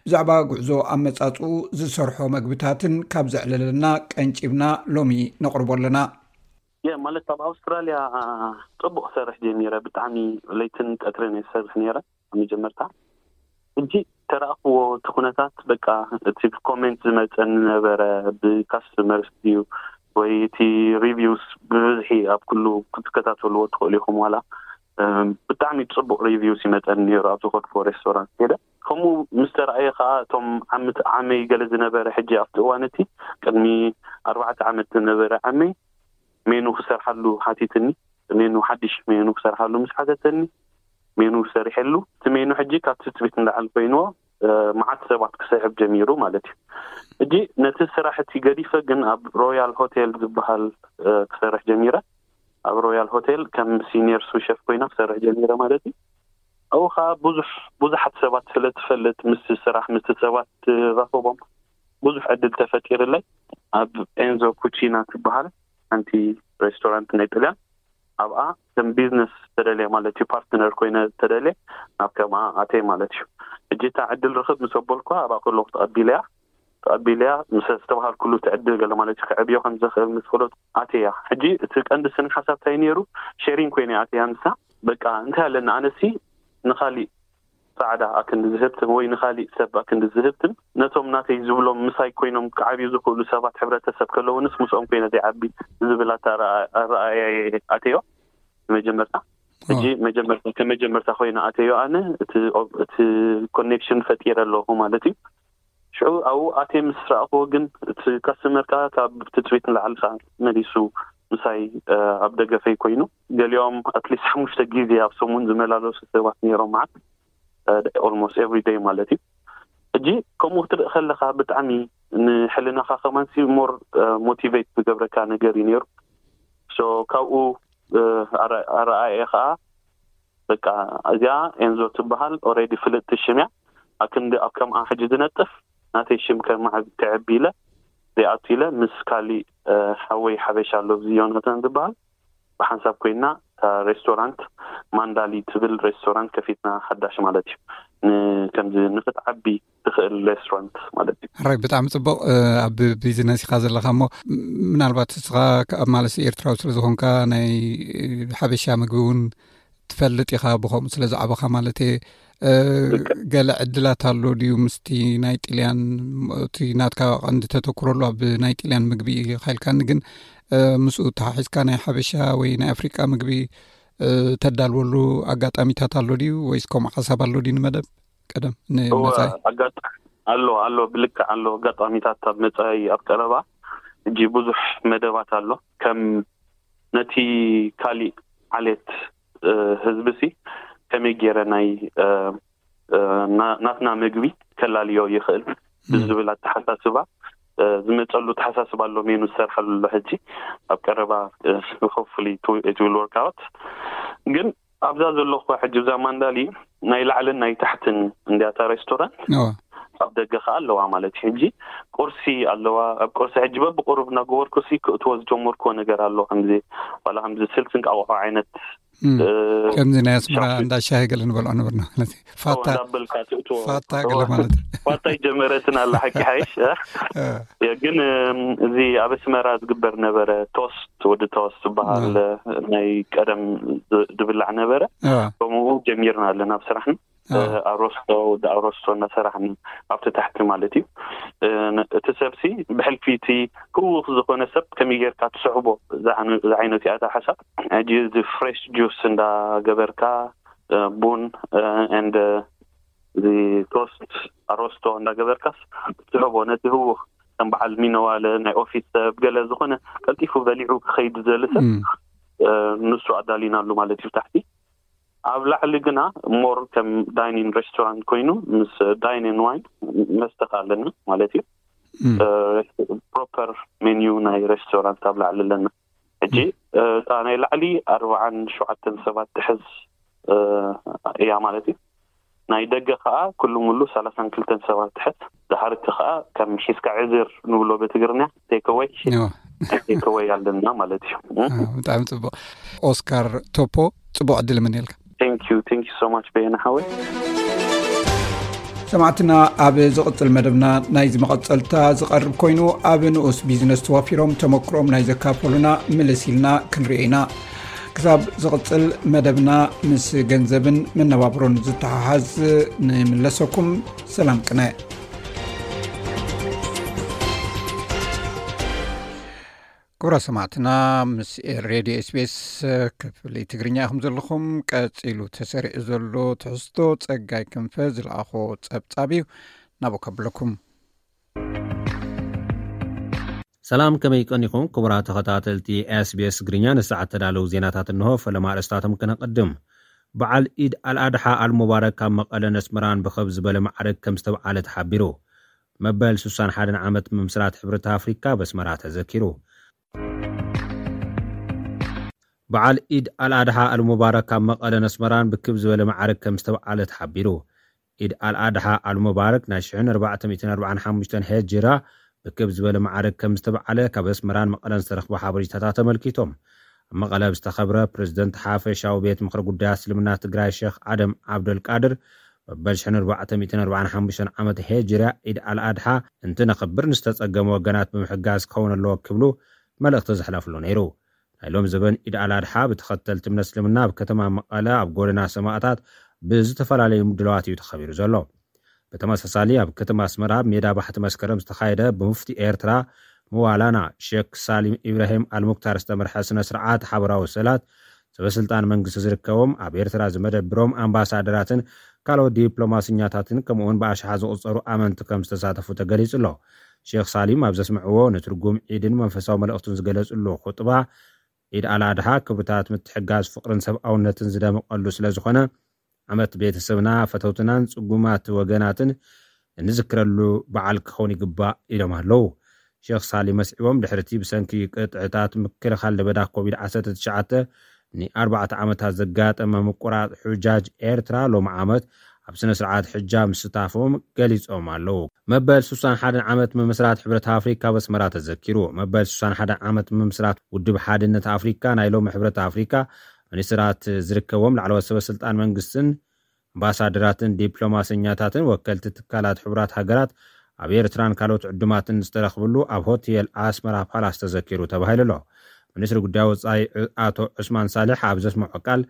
ብዛዕባ ጉዕዞ ኣመጻጽኡ ዝሰርሖ መግብታትን ካብ ዘዕለለና ቀንጪብና ሎሚ ነቕርቦ ኣለና። የ ማለት ኣብ ኣውስትራልያ ጽቡቕ ክሰርሕ ጀሚረ። ብጣዕሚ ለይትን ቀትርን እየ ዝሰርሕ ነይረ ኣብ መጀመርታ። ሕጂ ተረኣኽዎ እቲ ኩነታት፣ በቃ እቲ ኮሜንት ዝመፀኒ ነበረ ብካስተመርስ ድዩ ወይ እቲ ሪቪውስ ብብዝሒ ኣብ ኩሉ ክትከታተልዎ ትኽእሉ ኢኹም። ዋላ ብጣዕሚ ፅቡቕ ሪቪውስ ይመፀኒ ነይሩ ኣብ ዝኾድክዎ ሬስቶራንት ከይደ። ከምኡ ምስ ተረኣየ ከዓ እቶም ዓመት ዓመይ ገለ ዝነበረ ሕጂ ኣብቲ እዋን እቲ ቅድሚ ኣርባዕተ ዓመት ዝነበረ ዓመይ ሜኑ ክሰርሓሉ ሓቲትኒ። ሜኑ ሓድሽ ሜኑ ክሰርሓሉ ምስ ሓተተኒ ሜኑ ሰሪሐሉ። እቲ ሜኑ ሕጂ ካብ ትፅቢት ንላዕሊ ኮይንዎ መዓት ሰባት ክስሕብ ጀሚሩ ማለት እዩ። ሕጂ ነቲ ስራሕ እቲ ገዲፈ ግን ኣብ ሮያል ሆቴል ዝበሃል ክሰርሕ ጀሚረ። ኣብ ሮያል ሆቴል ከም ሲኒየር ሱሸፍ ኮይና ክሰርሕ ጀሚረ ማለት እዩ። ኣብኡ ከዓ ብዙሕ ብዙሓት ሰባት ስለ ትፈልጥ ምስ ስራሕ ምስ ሰባት ትራኸቦም ብዙሕ ዕድል ተፈጢርለይ። ኣብ ኤንዞ ኩቺና ትበሃል ሓንቲ ሬስቶራንት ናይ ጥልያን ኣብኣ ከም ቢዝነስ ተደልየ ማለት እዩ ፓርትነር ኮይነ ተደልየ ናብ ከምኣ ኣተየ ማለት እዩ። ሕጂ እታ ዕድል ርኽብ ምስ ኣበልኳ ኣብኣ ከለኹ ተቐቢለያ ተቐቢለያ ምስ ዝተባሃልኩሉ እቲ ዕድል ገለ ማለት እዩ ክዕብዮ ከም ዘኽእል ምስ ፈለጥኩ ኣተያ። ሕጂ እቲ ቀንዲ ስነ ሓሳብ እንታይ ነይሩ ሼሪንግ ኮይነ ኣተያ ንሳ በቃ እንታይ ኣለና ኣነሲ ንኻሊእ ፃዕዳ ኣክንዲ ዝህብትን ወይ ንካሊእ ሰብ ኣክንዲ ዝህብትን ነቶም ናተይ ዝብሎም ምሳይ ኮይኖም ክዓብዩ ዝኽእሉ ሰባት ሕብረተሰብ ከለውንስ ምስኦም ኮይነ ዘይዓቢ ዝብል ኣረኣእያ ኣተዮ። መጀመርታ ሕጂ መጀመርታ ከመጀመርታ ኮይነ ኣተዮ ኣነ እቲ ኮኔክሽን ፈጢረ ኣለኹ ማለት እዩ። ሽዑ ኣብኡ ኣትየ ምስ ረኣኽዎ ግን እቲ ካስተመር ከዓ ካብ ትፅቢት ንላዕሊ ከዓ መሊሱ ምሳይ ኣብ ደገፈይ ኮይኑ ገሊኦም ኣትሊስት ሓሙሽተ ግዜ ኣብ ሰሙን ዝመላለሱ ሰባት ነይሮም መዓት almost every day ማለት እዩ። ሕጂ ከምኡ ክትርኢ ከለካ ብጣዕሚ ንሕልናካ ከማን ሲ more motivate ዝገብረካ ነገር እዩ ነይሩ። So ካብኡ ኣረኣእየ ከዓ በቃ እዚኣ ኤንዞ ትበሃል already ፍልጥቲ ሽም እያ። ኣክንዲ ኣብ ከምኣ ሕጂ ዝነጥፍ ናተይ ሽም ከማዕብ ክዕቢ ኢለ ዘይኣቱ ኢለ ምስ ካሊእ ሓወይ ሓበሻ ኣሎ እዚ ዮናታን ዝበሃል ብሓንሳብ ኮይና እታ ሬስቶራንት ማንዳሊ ትብል ሬስቶራንት ከፊትና ሓዳሽ ማለት እዩ። ከምዚ ንክትዓቢ ትኽእል ሬስቶራንት ማለት እዩ። ሕራይ፣ ብጣዕሚ ጽቡቕ። ኣብ ቢዝነስ ኢኻ ዘለኻ እሞ፣ ምናልባት እስኻ ኣብ ማለሲ ኤርትራዊ ስለ ዝኾንካ ናይ ሓበሻ ምግቢ እውን ትፈልጥ ኢኻ፣ ብኸምኡ ስለ ዝዓበኻ ማለት እየ። ገለ ዕድላት ኣሎ ድዩ ምስቲ ናይ ጥልያን? እቲ ናትካ ቀንዲ ተተኩረሉ ኣብ ናይ ጥልያን ምግቢ ኢኻ ኢልካኒ፣ ግን ምስኡ ተሓሒዝካ ናይ ሓበሻ ወይ ናይ ኣፍሪቃ ምግቢ ተዳልወሉ ኣጋጣሚታት ኣሎ ድዩ፣ ወይስ ከምኡ ሓሳብ ኣሎ ድዩ ንመደብ ቀደም ንመጻኢ? ኣሎ ኣሎ፣ ብልክዕ ኣሎ ኣጋጣሚታት ኣብ መጻኢ ኣብ ቀረባ። እጂ ብዙሕ መደባት ኣሎ፣ ከም ነቲ ካሊእ ዓሌት ህዝቢ ሲ ከመይ ገይረ ናይ ናትና ምግቢ ከላልዮ ይኽእል ብዝብል ኣተሓሳስባ ዝመፀሉ ኣተሓሳስባ ኣሎ፣ ሜኑ ዝሰርሓሉ ኣሎ። ሕጂ ኣብ ቀረባ፣ hopefully it will work out። ግን ኣብዛ ዘለኹ ሕጂ እዛ ማንዳሊ ናይ ላዕልን ናይ ታሕትን እንዲያታ ሬስቶራንት፣ ኣብ ደገ ከዓ ኣለዋ ማለት እዩ። ሕጂ ቁርሲ ኣለዋ። ኣብ ቁርሲ ሕጂ በብቁሩብ እናገበርኩ ሲ ክእትዎ ዝጀመርኩዎ ነገር ኣሎ፣ ከምዚ ዋላ ከምዚ ስልሲ እንቃቆሖ ዓይነት። ከምዚ ናይ ኣስመራ እንዳ ሻሂ ገለ ንበልዖ ነበርና ማለት እዩ። ፋታ እንዳበልካ ትእትዎ ፋታ ገለ ማለት እዩ። ፋታ ይጀመረትን ኣላ ሓቂ ሓይሽ። ግን እዚ ኣብ ኣስመራ ዝግበር ነበረ፣ ቶስት፣ ወዲ ቶስት ዝበሃል ናይ ቀደም ዝብላዕ ነበረ። ከምኡ ጀሚርና ኣለና ኣብ ስራሕና። ኣሮስቶ፣ ወዲ ኣሮስቶ እናሰራሕና ኣብቲ ታሕቲ ማለት እዩ። እቲ ሰብሲ ብሕልፊ እቲ ህውኽ ዝኾነ ሰብ ከመይ ጌርካ ትስሕቦ ዝዓይነቱ እያ እታ ሓሳብ። ሕጂ እዚ ፍሬሽ ጁስ እንዳገበርካ፣ ቡን፣ and እዚ ቶስት ኣሮስቶ እንዳገበርካስ ትስሕቦ ነቲ ህውኽ፣ ከም በዓል ሚነዋለ ናይ ኦፊስ ሰብ ገለ ዝኾነ ቀልጢፉ በሊዑ ክኸይድ ዝደሊ ሰብ ንሱ ኣዳሊናሉ ማለት እዩ ታሕቲ። ኣብ ላዕሊ ግና ሞር ከም ዳይኒን ሬስቶራንት ኮይኑ ምስ ዳይኒን ዋይን መስተ ኣለና ማለት እዩ። ፕሮፐር ሜኒዩ ናይ ሬስቶራንት ኣብ ላዕሊ ኣለና። ሕጂ እታ ናይ ላዕሊ ኣርባዓን ሸውዓተን ሰባት ትሕዝ እያ ማለት እዩ። ናይ ደገ ከዓ ኩሉ ሙሉ ሰላሳን ክልተን ሰባት ትሕዝ። ድሓርቲ ከዓ ከም ሒዝካ ዕዝር ንብሎ ብትግርኛ ቴክወይ፣ ቴክወይ ኣለና ማለት እዩ። ብጣዕሚ ፅቡቅ። ኦስካር ቶፖ፣ ፅቡቅ ዕድል እምነልካ። Thank you, thank you so much በየነ ሓወይ። ሰማዕትና፣ ኣብ ዝቕጽል መደብና ናይዚ መቐጸልታ ዝቐርብ ኮይኑ፣ ኣብ ንኡስ ቢዝነስ ተዋፊሮም ተመክሮም ናይ ዘካፈሉና ምልስ ኢልና ክንሪኦ ኢና። ክሳብ ዝቕጽል መደብና፣ ምስ ገንዘብን መነባብሮን ዝተሓሓዝ ንምለሰኩም። ሰላም ቅነ። ክቡራት ሰማዕትና፣ ምስ ሬድዮ ኤስቢኤስ ክፍሊ ትግርኛ ኢኹም ዘለኹም። ቀጺሉ ተሰሪዑ ዘሎ ትሕዝቶ ጸጋይ ክንፈ ዝለኣኾ ጸብጻብ እዩ። ናብኡ ከብለኩም። ሰላም፣ ከመይ ቀኒኹም ክቡራት ተኸታተልቲ ኤስቢኤስ ትግርኛ? ንሰዓት ተዳለዉ ዜናታት እንሆ። ፈለማ ኣርእስታቶም ከነቐድም። በዓል ኢድ ኣልኣድሓ ኣልሙባረክ ኣብ መቐለን ኣስመራን ብኸብ ዝበለ ማዕርግ ከም ዝተብዓለ ተሓቢሩ። መበል ሱሳን ሓደን ዓመት ምምስራት ሕብረት ኣፍሪካ በስመራ ተዘኪሩ። በዓል ኢድ ኣልኣድሓ ኣልሙባረክ ኣብ መቐለን ኣስመራን ብክብ ዝበለ ማዕርግ ከም ዝተብዓለ ተሓቢሩ። ኢድ ኣልኣድሓ ኣልሙባረክ ናይ ሽሕን ኣርባዕተ ሚእትን ኣርባዓን ሓሙሽተን ሄጅራ ብክብ ዝበለ ማዕርግ ከም ዝተብዓለ ካብ ኣስመራን መቐለን ዝተረኽቡ ሓበሬታታት ተመልኪቶም። ኣብ መቐለ ዝተኸብረ ፕሬዝደንት ሓፈሻዊ ቤት ምኽሪ ጉዳያት እስልምና ትግራይ ሸኽ ኣደም ዓብደልቃድር፣ መበል ሽሕን ኣርባዕተ ሚእትን ኣርባዓን ሓሙሽተን ዓመት ሄጅርያ ኢድ ኣልኣድሓ እንትነኽብር ንዝተጸገሙ ወገናት ብምሕጋዝ ክኸውን ኣለዎ ክብሉ መልእኽቲ ዘሕለፍሉ ነይሩ። ናይ ሎም ዘበን ኢድ ኣልኣድሓ ብተኸተልቲ እምነት እስልምና ኣብ ከተማ መቐለ ኣብ ጎደና ሰማእታት ብዝተፈላለዩ ምድለዋት እዩ ተኸቢሩ ዘሎ። ብተመሳሳሊ ኣብ ከተማ ኣስመራ ኣብ ሜዳ ባሕቲ መስከረም ዝተኻየደ ብሙፍቲ ኤርትራ መዋላና ሼክ ሳሊም ኢብራሂም ኣልሙክታር ዝተመርሐ ስነ ስርዓት ሓበራዊ ሰላት ሰበስልጣን መንግስቲ ዝርከቦም ኣብ ኤርትራ ዝመደብሮም ኣምባሳደራትን ካልኦት ዲፕሎማስኛታትን ከምኡውን ብኣሽሓ ዝቑጸሩ ኣመንቲ ከም ዝተሳተፉ ተገሊጹ ኣሎ። ሼክ ሳሊም ኣብ ዘስምዕዎ ንትርጉም ዒድን መንፈሳዊ መልእኽቱን ዝገለጽሉ ኹጥባ፣ ዒድ ኣልኣድሓ ክብርታት ምትሕጋዝ ፍቕርን ሰብኣውነትን ዝደመቐሉ ስለ ዝኾነ ዓመት ቤተሰብና ፈተውትናን ጽጉማት ወገናትን እንዝክረሉ በዓል ክኸውን ይግባእ ኢሎም ኣለዉ። ሼክ ሳሊ መስዒቦም ድሕርቲ ብሰንኪ ቅጥዕታት ምክልኻል ለበዳ ኮቪድ ዓሰርተ ትሽዓተ ንኣርባዕተ ዓመታት ዘጋጠመ ምቁራጥ ሑጃጅ ኤርትራ ሎሚ ዓመት ኣብ ስነ ስርዓት ሕጃ ምስታፎም ገሊጾም ኣለዉ። መበል ሱሳን ሓደን ዓመት ምምስራት ሕብረት ኣፍሪካ በስመራ ተዘኪሩ። መበል ሱሳን ሓደን ዓመት ምምስራት ውድብ ሓድነት ኣፍሪካ ናይ ሎሚ ሕብረት ኣፍሪካ ሚኒስትራት ዝርከቦም ላዕለዎት ሰበ ስልጣን መንግስትን ኣምባሳደራትን ዲፕሎማሰኛታትን ወከልቲ ትካላት ሕቡራት ሃገራት ኣብ ኤርትራን ካልኦት ዕዱማትን ዝተረኽብሉ ኣብ ሆቴል ኣስመራ ፓላስ ተዘኪሩ ተባሂሉ ኣሎ። ሚኒስትሪ ጉዳይ ወጻኢ ኣቶ ዑስማን ሳልሕ ኣብ ዘስምዖ ቃል፣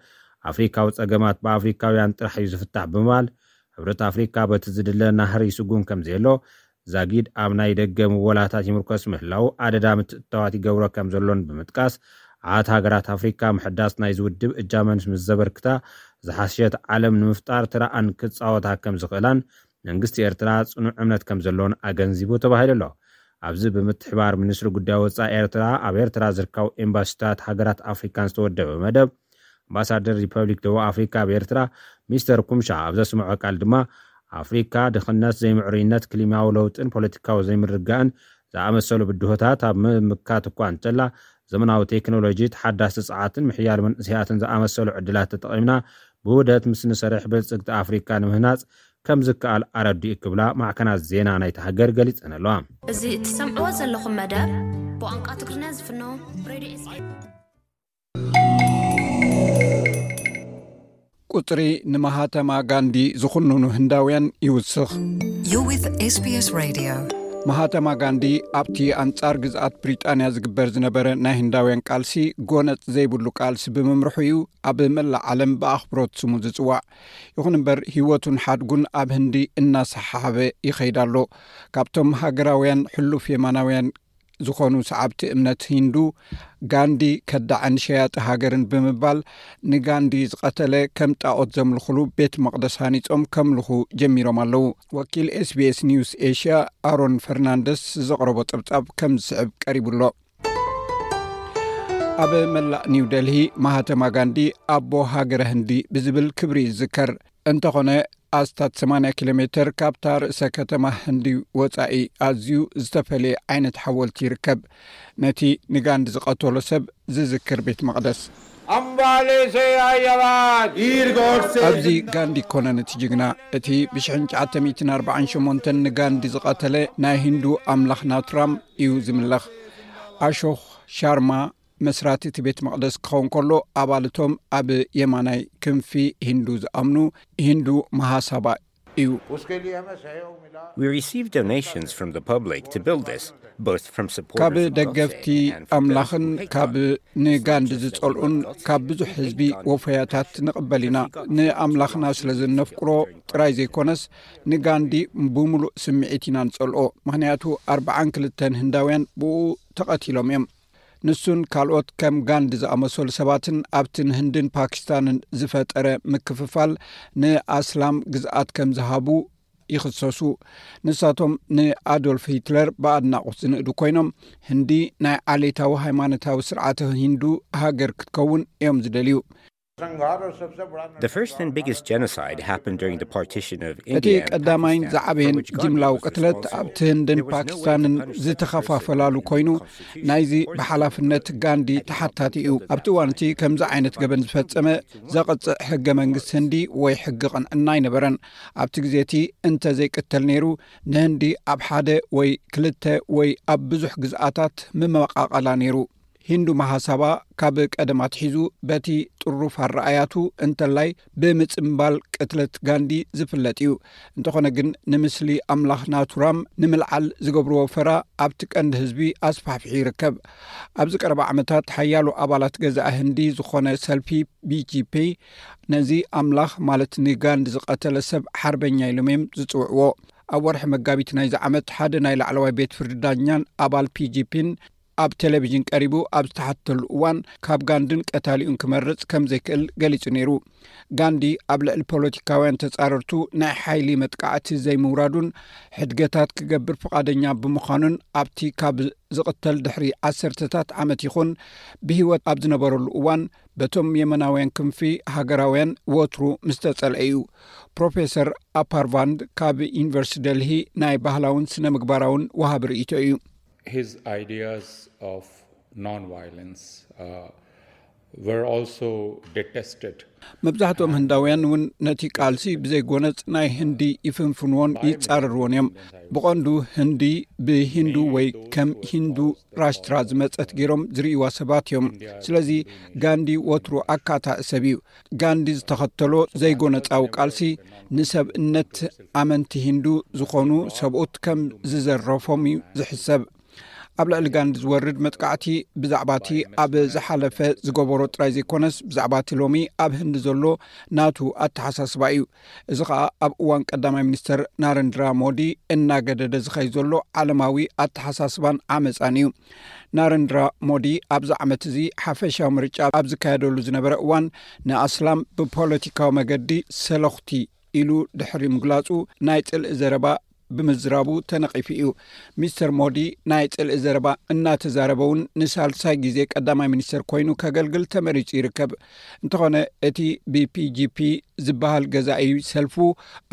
ኣፍሪካዊ ጸገማት ብኣፍሪካውያን ጥራሕ እዩ ዝፍታሕ ብምባል፣ ሕብረት ኣፍሪካ በቲ ዝድለ ናህሪ ይስጉም ከም ዘየሎ፣ ዛጊድ ኣብ ናይ ደገ ምወላታት ይምርኮስ ምህላው ኣደዳ ምትእትታዋት ይገብሮ ከም ዘሎን ብምጥቃስ፣ ዓት ሃገራት ኣፍሪካ ምሕዳስ ናይዚ ውድብ እጃመን ምስ ዘበርክታ፣ ዝሓሸት ዓለም ንምፍጣር ተራኣን ክጻወታ ከም ዝኽእላን መንግስቲ ኤርትራ ጽኑዕ እምነት ከም ዘሎን ኣገንዚቡ ተባሂሉ ኣሎ። ኣብዚ ብምትሕባር ሚኒስትሪ ጉዳይ ወጻኢ ኤርትራ ኣብ ኤርትራ ዝርከቡ ኤምባሲታት ሃገራት ኣፍሪካን ዝተወደበ መደብ፣ ኣምባሳደር ሪፐብሊክ ደቡብ ኣፍሪካ ኣብ ኤርትራ ሚስተር ኩምሻ ኣብ ዘስምዖ ቃል ድማ፣ ኣፍሪካ ድኽነት፣ ዘይምዕሩይነት፣ ክሊማዊ ለውጥን ፖለቲካዊ ዘይምርግጋእን ዝኣመሰሉ ብድሆታት ኣብ ምምካት እኳ እንተላ፣ ዘመናዊ ቴክኖሎጂ፣ ተሓዳሲ ጸዓትን ምሕያል መንእሰያትን ዝኣመሰሉ ዕድላት ተጠቒምና ብውህደት ምስ ንሰርሕ ብልጽግቲ ኣፍሪካ ንምህናጽ ከም ዝከኣል ኣረዲኡ ክብላ ማዕከናት ዜና ናይታ ሃገር ገሊጸን ኣለዋ። እዚ እትሰምዕዎ ዘለኹም መደብ ብቋንቋ ትግርኛ ዝፍኖ ሬድዮ ኤስቢኤስ። ቁጽሪ ንማሃተማ ጋንዲ ዝኹንኑ ህንዳውያን ይውስኽ። You're with S B S Radio. ማሃተማ ጋንዲ ኣብቲ ኣንጻር ግዝኣት ብሪጣንያ ዝግበር ዝነበረ ናይ ህንዳውያን ቃልሲ ጎነጽ ዘይብሉ ቃልሲ ብምምርሑ እዩ ኣብ መላእ ዓለም ብኣኽብሮት ስሙ ዝጽዋዕ። ይኹን እምበር ህይወቱን ሓድጉን ኣብ ህንዲ እናሰሓሓበ ይኸይድ ኣሎ። ካብቶም ሃገራውያን ሕሉፍ የማናውያን ዝኾኑ ሰዓብቲ እምነት ሂንዱ፣ ጋንዲ ከዳዕን ሸያጢ ሃገርን ብምባል ንጋንዲ ዝቐተለ ከም ጣዖት ዘምልኹሉ ቤት መቕደስ ሃኒጾም ከምልኹ ጀሚሮም ኣለዉ። ወኪል ኤስቢኤስ ኒውስ ኤሽያ ኣሮን ፈርናንደስ ዘቕረቦ ጸብጻብ ከም ዝስዕብ ቀሪቡ ኣሎ። ኣብ መላእ ኒው ደልሂ ማሃተማ ጋንዲ ኣቦ ሃገረ ህንዲ ብዝብል ክብሪ ይዝከር። እንተኾነ ኣስታት ሰማንያ ኪሎ ሜተር ካብታ ርእሰ ከተማ ህንዲ ወጻኢ ኣዝዩ ዝተፈልየ ዓይነት ሓወልቲ ይርከብ። ነቲ ንጋንዲ ዝቐተሎ ሰብ ዝዝክር ቤት መቕደስ። अंबाले से आई आवाज वीर गौड से ኣብዚ ጋንዲ ኣይኮነን እቲ ጅግና። እቲ ብ ሽሕን ትሽዓተ ሚእትን ኣርባዓን ሸሞንተን ንጋንዲ ዝቐተለ ናይ ሂንዱ ኣምላኽ ናቱራም እዩ ዝምለኽ። ኣሾኽ ሻርማ መስራቲ እቲ ቤት መቕደስ ክኸውን ከሎ፣ ኣባልቶም ኣብ የማናይ ክንፊ ሂንዱ ዝኣምኑ ሂንዱ መሃሳባ እዩ። उसके लिए हमें सहयोग मिला We received donations from the public to build this, both from supporters ካብ of Godse ደገፍቲ and from those ኣምላኽን who hate ካብ God. ንጋንዲ Such as the ዝጸልኡን Lord Godse ካብ ብዙሕ and hate ህዝቢ God. ወፈያታት ንቕበል ኢና። ንኣምላኽና ስለ ዝነፍቅሮ ጥራይ ዘይኮነስ፣ ንጋንዲ ብምሉእ ስምዒት ኢና ንጸልኦ። ምኽንያቱ ኣርብዓን ክልተን ህንዳውያን ብኡ ተቐቲሎም እዮም። ንሱን ካልኦት ከም ጋንዲ ዝኣመሰሉ ሰባትን ኣብቲ ንህንድን ፓኪስታንን ዝፈጠረ ምክፍፋል ንኣስላም ግዝኣት ከም ዝሃቡ ይኽሰሱ። ንሳቶም ንኣዶልፍ ሂትለር ብኣድናቖት ዝንእዱ ኮይኖም፣ ህንዲ ናይ ዓሌታዊ ሃይማኖታዊ ስርዓተ ሂንዱ ሃገር ክትከውን እዮም ዝደልዩ። संघार और सबसे बड़ा The first and biggest genocide happened during the partition of እቲ India and ቀዳማይን Pakistan, ዝዓበየን for which Gandhi ጅምላዊ was ቅትለት responsible. ኣብቲ ህንድን There was no way ፓኪስታንን for the countries to ዝተኸፋፈላለሉ participate in ኮይኑ፣ the constitution ናይዚ or the ብሓላፍነት Constitution ጋንዲ had to ተሓታቲ help እዩ። build ኣብቲ that እዋን እቲ flag. ከምዚ ዓይነት ገበን ዝፈጸመ ዘቕጽዕ ሕገ መንግስቲ ህንዲ ወይ ሕጊ ቅንዕና ኣይነበረን። ኣብቲ ግዜ እቲ እንተ ዘይቅተል ነይሩ፣ ንህንዲ ኣብ ሓደ ወይ ክልተ ወይ ኣብ ብዙሕ ግዝኣታት ምመቓቐላ ነይሩ። ሂንዱ መሃሳባ ካብ ቀደም ኣትሒዙ በቲ ጥሩፍ ኣረኣያቱ እንተላይ ብምጽምባል ቅትለት ጋንዲ ዝፍለጥ እዩ። እንተኾነ ግን፣ ንምስሊ ኣምላኽ ናቱራም ንምልዓል ዝገብርዎ ፈራ ኣብቲ ቀንዲ ህዝቢ ኣስፋሕፊሑ ይርከብ። ኣብዚ ቀረባ ዓመታት ሓያሎ ኣባላት ገዛኢ ህንዲ ዝኾነ ሰልፊ ቢጂፒ ነዚ ኣምላኽ ማለት ንጋንዲ ዝቐተለ ሰብ ሓርበኛ ኢሎም እዮም ዝጽውዕዎ። ኣብ ወርሒ መጋቢት ናይዚ ዓመት ሓደ ናይ ላዕለዋይ ቤት ፍርዲ ዳኛን ኣባል ፒጂፒን ኣብ ቴሌቪዥን ቀሪቡ ኣብ ዝተሓተሉ እዋን፣ ካብ ጋንድን ቀታሊኡን ክመርጽ ከም ዘይክእል ገሊጹ ነይሩ። ጋንዲ ኣብ ልዕሊ ፖለቲካውያን ተጻረርቱ ናይ ሓይሊ መጥቃዕቲ ዘይምውራዱን ሕድገታት ክገብር ፍቓደኛ ብምዃኑን፣ ኣብቲ ካብ ዝቕተል ድሕሪ ዓሰርተታት ዓመት ይኹን፣ ብህይወት ኣብ ዝነበረሉ እዋን በቶም የመናውያን ክንፊ ሃገራውያን ወትሩ ምስ ተጸልአ እዩ። ፕሮፌሰር ኣፓርቫንድ ካብ ዩኒቨርሲቲ ደልሂ ናይ ባህላውን ስነ ምግባራውን ወሃቢ ርእይቶ እዩ። His ideas of non-violence, uh, were also detested. መብዛሕትኦም ህንዳውያን እውን ነቲ ቃልሲ ብዘይጎነጽ ናይ ህንዲ ይፍንፍንዎን ይጻረርዎን እዮም። ብቐንዱ ህንዲ ብሂንዱ ወይ ከም ሂንዱ ራሽትራ ዝመጸት ገይሮም ዝርእይዋ ሰባት እዮም። ስለዚ ጋንዲ ወትሩ ኣካታኢ ሰብ እዩ። ጋንዲ ዝተኸተሎ ዘይጎነጻዊ ቃልሲ ንሰብእነት ኣመንቲ ሂንዱ ዝኾኑ ሰብኡት ከም ዝዘረፎም እዩ ዝሕሰብ። ኣብ ልዕሊ ጋንዲ ዝወርድ መጥቃዕቲ ብዛዕባ እቲ ኣብ ዝሓለፈ ዝገበሮ ጥራይ ዘይኮነስ፣ ብዛዕባ እቲ ሎሚ ኣብ ህንዲ ዘሎ ናቱ ኣተሓሳስባ እዩ። እዚ ኸኣ ኣብ እዋን ቀዳማይ ሚኒስተር ናረንድራ ሞዲ እናገደደ ዝኸይ ዘሎ ዓለማዊ ኣተሓሳስባን ዓመጻን እዩ። ናረንድራ ሞዲ ኣብዚ ዓመት እዚ ሓፈሻዊ ምርጫ ኣብ ዝካየደሉ ዝነበረ እዋን፣ ንኣስላም ብፖለቲካዊ መገዲ ሰለኹቲ ኢሉ ድሕሪ ምግላጹ፣ ናይ ጽልኢ ዘረባ ብምዝራቡ ተነቒፉ እዩ። ሚስተር ሞዲ ናይ ጽልኢ ዘረባ እናተዛረበ እውን ንሳልሳይ ግዜ ቀዳማይ ሚኒስተር ኮይኑ ከገልግል ተመሪጹ ይርከብ። እንተኾነ እቲ ብፒጂፒ ዝበሃል ገዛኢ ሰልፉ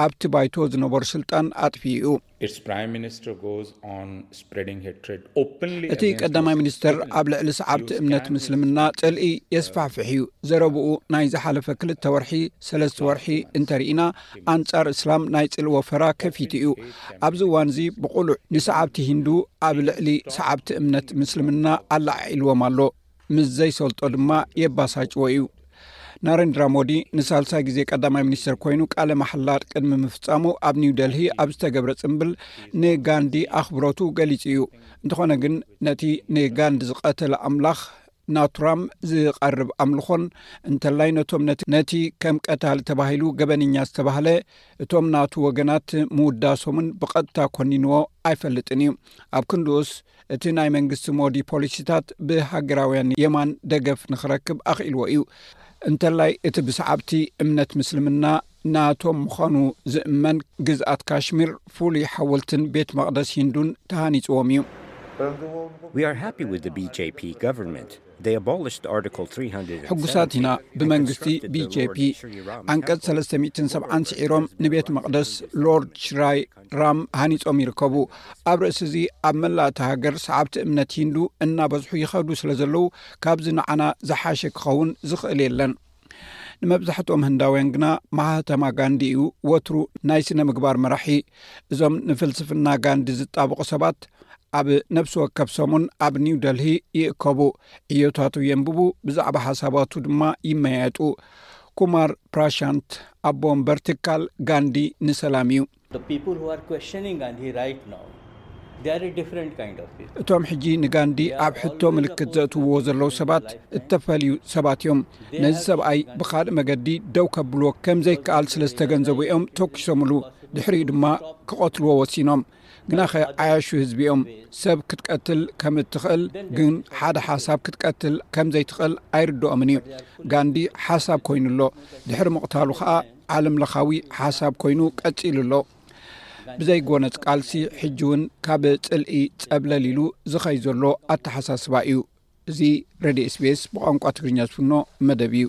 ኣብቲ ባይቶ ዝነበሩ ስልጣን ኣጥፊኡ እዩ። Its prime minister goes on spreading hatred openly እቲ ቀዳማይ ሚኒስተር ኣብ ልዕሊ ሰዓብቲ እምነት ምስልምና ጽልኢ የስፋሕፍሕ እዩ። ዘረብኡ ናይ ዝሓለፈ ክልተ ወርሒ፣ ሰለስተ ወርሒ እንተርኢና፣ ኣንጻር እስላም ናይ ጽልኢ ወፈራ ከፊቱ እዩ። ኣብዚ እዋን እዚ ብቑሉዕ ንሰዓብቲ ሂንዱ ኣብ ልዕሊ ሰዓብቲ እምነት ምስልምና ኣላዓዒልዎም ኣሎ። ምስ ዘይሰልጦ ድማ የባሳጭዎ እዩ። ናረንድራ ሞዲ ንሳልሳይ ግዜ ቀዳማይ ሚኒስተር ኮይኑ ቃለ ማሕላ ቅድሚ ምፍጻሙ፣ ኣብ ኒው ደልሂ ኣብ ዝተገብረ ጽምብል ንጋንዲ ኣኽብሮቱ ገሊጹ እዩ። እንተኾነ ግን፣ ነቲ ንጋንዲ ዝቐተለ ኣምላኽ ናቱራም ዝቐርብ ኣምልኾን፣ እንተላይ ነቶም ነቲ ከም ቀታሊ ተባሂሉ ገበነኛ ዝተባህለ፣ እቶም ናቱ ወገናት ምውዳሶምን ብቐጥታ ኮኒንዎ ኣይፈልጥን እዩ። ኣብ ክንድኡስ፣ እቲ ናይ መንግስቲ ሞዲ ፖሊሲታት ብሃገራውያን የማን ደገፍ ንኽረክብ ኣኽኢልዎ እዩ። እንተላይ እቲ ብሰዓብቲ እምነት ምስልምና ናቶም ምዃኑ ዝእመን ግዝኣት ካሽሚር፣ ፍሉይ ሓወልትን ቤት መቕደስ ሂንዱን ተሃኒጽዎም እዩ። We are happy with the B J P government. They abolished Article three hundred. ሕጉሳት ኢና ብመንግስቲ ቢጄፒ። ዓንቀጽ ሰለስተ ሚእትን ሰብዓን ስዒሮም፣ ንቤት መቕደስ ሎርድ ሽራይ ራም ሃኒጾም ይርከቡ። ኣብ ርእሲ እዚ፣ ኣብ መላእ እታ ሃገር ሰዓብቲ እምነት ሂንዱ እናበዝሑ ይኸዱ ስለ ዘለዉ፣ ካብዚ ንዓና ዝሓሸ ክኸውን ዝኽእል የለን። ንመብዛሕትኦም ህንዳውያን ግና፣ ማህተማ ጋንዲ እዩ ወትሩ ናይ ስነ ምግባር መራሒ። እዞም ንፍልስፍና ጋንዲ ዝጣበቑ ሰባት፣ ኣብ ነፍሲ ወከፍ ሰሙን ኣብ ኒው ደልሂ ይእከቡ፣ ዕዮታቱ የንብቡ፣ ብዛዕባ ሓሳባቱ ድማ ይመያየጡ። ኩማር ፕራሻንት፣ ኣቦ ወንበር ትካል ጋንዲ ንሰላም እዩ። The people who are questioning Gandhi right now, they are a different kind of people. እቶም ሕጂ ንጋንዲ ኣብ ሕቶ ምልክት ዘእትውዎ ዘለዉ ሰባት እተፈልዩ ሰባት እዮም። ነዚ ሰብኣይ ብኻልእ መገዲ ደው ከብልዎ ከም ዘይከኣል ስለ ዝተገንዘቡ እዮም ተኩሶምሉ። ድሕሪኡ ድማ ክቐትልዎ ወሲኖም። ግናኸ ዓያሹ ህዝቢ እዮም። ሰብ ክትቀትል ከም እትኽእል፣ ግን ሓደ ሓሳብ ክትቀትል ከም ዘይትኽእል ኣይርድኦምን እዩ። ጋንዲ ሓሳብ ኮይኑ ኣሎ። ድሕሪ ምቕታሉ ኸኣ ዓለም ለኻዊ ሓሳብ ኮይኑ ቀጺሉ ኣሎ። ብዘይጎነጽ ቃልሲ ሕጂ እውን ካብ ጽልኢ ጸብለል ኢሉ ዝኸይ ዘሎ ኣተሓሳስባ እዩ። እዚ ሬድዮ ኤስቢኤስ ብቋንቋ ትግርኛ ዝፍኖ መደብ እዩ።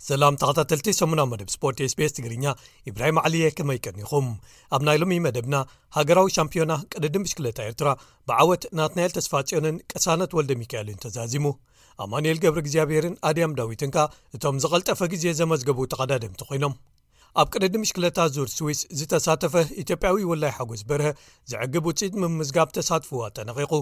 ሰላም ተኸታተልቲ ሰሙናዊ መደብ ስፖርት ኤስቢኤስ ትግርኛ፣ ኢብራሂም ዓሊየ፣ ከመይ ቀኒኹም? ኣብ ናይ ሎሚ መደብና፣ ሃገራዊ ሻምፒዮና ቅድድም ብሽክለታ ኤርትራ ብዓወት ናትናኤል ተስፋጽዮንን ቅሳነት ወልደ ሚካኤልን ተዛዚሙ። ኣማኑኤል ገብረ እግዚኣብሔርን ኣድያም ዳዊትን ከኣ እቶም ዝቐልጠፈ ግዜ ዘመዝገቡ ተቐዳደምቲ ኮይኖም። ኣብ ቅድድም ብሽክለታ ዙር ስዊስ ዝተሳተፈ ኢትዮጵያዊ ወላይ ሓጎስ በርሀ ዘዕግብ ውጽኢት ምምዝጋብ ተሳትፎ ኣጠናቒቑ።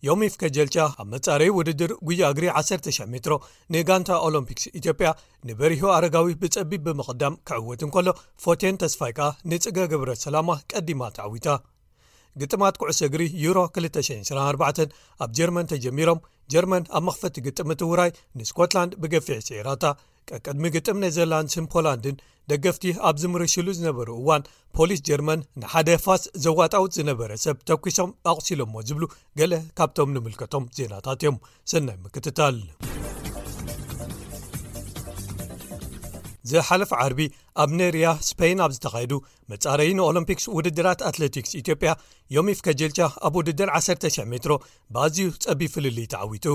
ዮሚፍ ከጀልቻ ኣብ መጻረዪ ውድድር ጉያ እግሪ ዓሰርተ ሺሕ ሜትሮ ንጋንታ ኦሎምፒክስ ኢትዮጵያ ንበሪሁ ኣረጋዊ ብጸቢብ ብምቕዳም ክዕወት እንከሎ፣ ፎቴን ተስፋይ ከኣ ንጽገ ገብረ ሰላማ ቀዲማ ተዓዊታ። ግጥማት ኩዕሶ እግሪ ዩሮ ክልተ ሽሕን ዕስራን ኣርባዕተን ኣብ ጀርመን ተጀሚሮም። ጀርመን ኣብ መኽፈቲ ግጥም እቲ ውራይ ንስኮትላንድ ብገፊሕ ስዒራታ። ቀቅድሚ ግጥም ኔዘርላንድስን ፖላንድን ደገፍቲ ኣብ ዝምርሽሉ ዝነበሩ እዋን፣ ፖሊስ ጀርመን ንሓደ ፋስ ዘዋጣውጥ ዝነበረ ሰብ ተኲሶም ኣቑሲሎሞ ዝብሉ ገለ ካብቶም ንምልከቶም ዜናታት እዮም። ሰናይ ምክትታል። ዝሓለፈ ዓርቢ ኣብ ኔርያ ስፔን ኣብ ዝተኻየዱ መጻረዪ ንኦሎምፒክስ ውድድራት ኣትሌቲክስ ኢትዮጵያ ዮሚፍ ከጀልቻ ኣብ ውድድር ዓሰርተ ሺሕ ሜትሮ ብኣዝዩ ጸቢብ ፍልልይ ተዓዊቱ።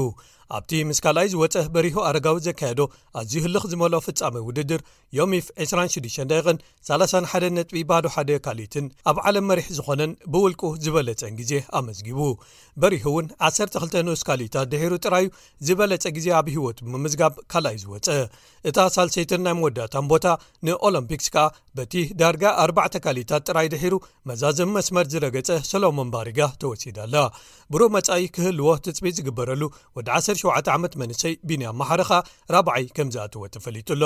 ኣብቲ ምስ ካልኣይ ዝወጸ በሪሁ ኣረጋዊ ዘካየዶ ኣዝዩ ህልኽ ዝመልኦ ፍጻመ ውድድር፣ ዮሚፍ ዕስራን ሽዱሽተን ደቂቕን ሰላሳን ሓደን ነጥቢ ባዶ ሓደ ካልኢትን ኣብ ዓለም መሪሕ ዝኾነን ብውልቁ ዝበለጸን ግዜ ኣመዝጊቡ። በሪሁ እውን ዓሰርተ ክልተ ንኡስ ካልኢታት ድሒሩ ጥራዩ ዝበለጸ ግዜ ኣብ ህይወቱ ብምምዝጋብ ካልኣይ ዝወጸ። እታ ሳልሰይትን ናይ መወዳእታን ቦታ ንኦሎምፒክስ ከኣ በቲ ዳርጋ ኣርባዕተ ካልኢታት ጥራይ ድሒሩ መዛዘሚ መስመር ዝረገጸ ሰሎሞን ባሪጋ ተወሲዳ ኣላ። ብሩህ መጻኢ ክህልዎ ትጽቢት ዝግበረሉ ወዲ ዓሰርተ ሸውዓተ ዓመት መንእሰይ ቢንያም መሓሪ ከኣ ራብዓይ ከም ዝኣተወ ተፈሊጡ ኣሎ።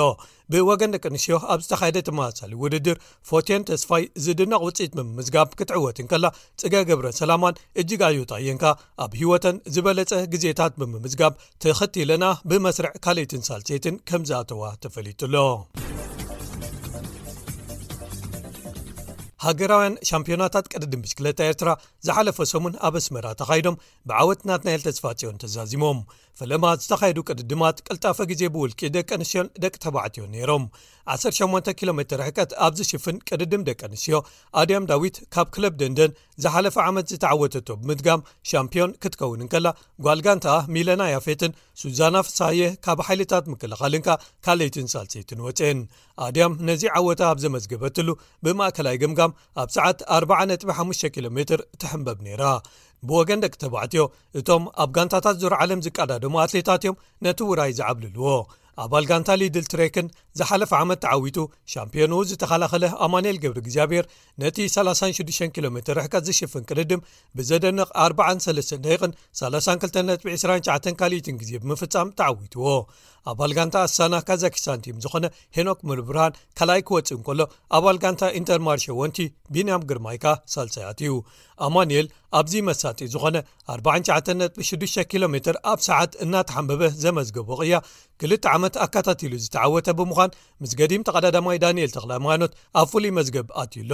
ብወገን ደቂ ኣንስትዮ ኣብ ዝተኻየደ ተመሳሳሊ ውድድር ፎቴን ተስፋይ ዝድነቕ ውጽኢት ብምምዝጋብ ክትዕወት እንከላ፣ ጽገ ገብረ ሰላማን እጅጋዮ ታየንካ ኣብ ህይወተን ዝበለጸ ግዜታት ብምምዝጋብ ተኸቲለና ብመስርዕ ካልኣይትን ሳልሰይትን ከም ዝኣተዋ ተፈሊጡ ኣሎ። ሃገራውያን ሻምፒዮናታት ቅድድም ብሽክለታ ኤርትራ ዝሓለፈ ሰሙን ኣብ ኣስመራ ተኻይዶም ብዓወት ናትናኤል ተስፋጽዮን ተዛዚሞም። ፈለማ ዝተኻየዱ ቅድድማት ቅልጣፈ ግዜ ብውልቂ ደቂ ኣንስትዮን ደቂ ተባዕትዮን ነይሮም። ዓሰርተ ሸሞንተ ኪሎ ሜትር ርሕቀት ኣብ ዝሽፍን ቅድድም ደቂ ኣንስትዮ ኣድያም ዳዊት ካብ ክለብ ደንደን ዝሓለፈ ዓመት ዝተዓወተቶ ብምድጋም ሻምፒዮን ክትከውን እንከላ፣ ጓል ጋንታኣ ሚለና ያፌትን ሱዛና ፍሳየ ካብ ሓይልታት ምክልኻልን ከኣ ካልኣይትን ሳልሰይትን ወጽኤን። ኣድያም ነዚ ዓወታ ኣብ ዘመዝገበትሉ ብማእከላይ ገምጋም ኣብ ሰዓት ኣርባዓ ነጥቢ ሓሙሽተ ኪሎ ሜትር ትሕንበብ ነይራ። ብወገን ደቂ ተባዕትዮ፣ እቶም ኣብ ጋንታታት ዙር ዓለም ዝቀዳደሙ ኣትሌታት እዮም ነቲ ውራይ ዝዓብልልዎ። ኣባል ጋንታ ሊድል ትሬክን ዝሓለፈ ዓመት ተዓዊቱ ሻምፒዮንኡ ዝተኸላኸለ ኣማኑኤል ገብረ እግዚኣብሔር፣ ነቲ ሰላሳን ሽዱሽተን ኪሎ ሜትር ርሕቀት ዝሽፍን ቅድድም ብዘደንቕ ኣርባዓን ሰለስተን ደቂቕን ሰላሳን ክልተን ነጥቢ ዕስራን ትሽዓተን ካልኢትን ግዜ ብምፍጻም ተዓዊትዎ። ኣባል ጋንታ ኣሳና ካዛኪስታን ቲም ዝኾነ ሄኖክ ሙሉብርሃን ካልኣይ ክወጽእ እንከሎ፣ ኣባል ጋንታ ኢንተርማርሸ ወንቲ ቢንያም ግርማይ ከኣ ሳልሳይ ኣትዩ። ኣማኑኤል ኣብዚ መሳጢ ዝኾነ ኣርባዓን ትሽዓተን ነጥቢ ሽዱሽተ ኪሎ ሜትር ኣብ ሰዓት እናተሓንበበ ዘመዝገቦ ቅያ፣ ክልተ ዓመት ኣከታቲሉ ዝተዓወተ ብምዃን፣ ምስ ገዲም ተቐዳዳማይ ዳንኤል ተኽለሃይማኖት ኣብ ፍሉይ መዝገብ ኣትዩ ኣሎ።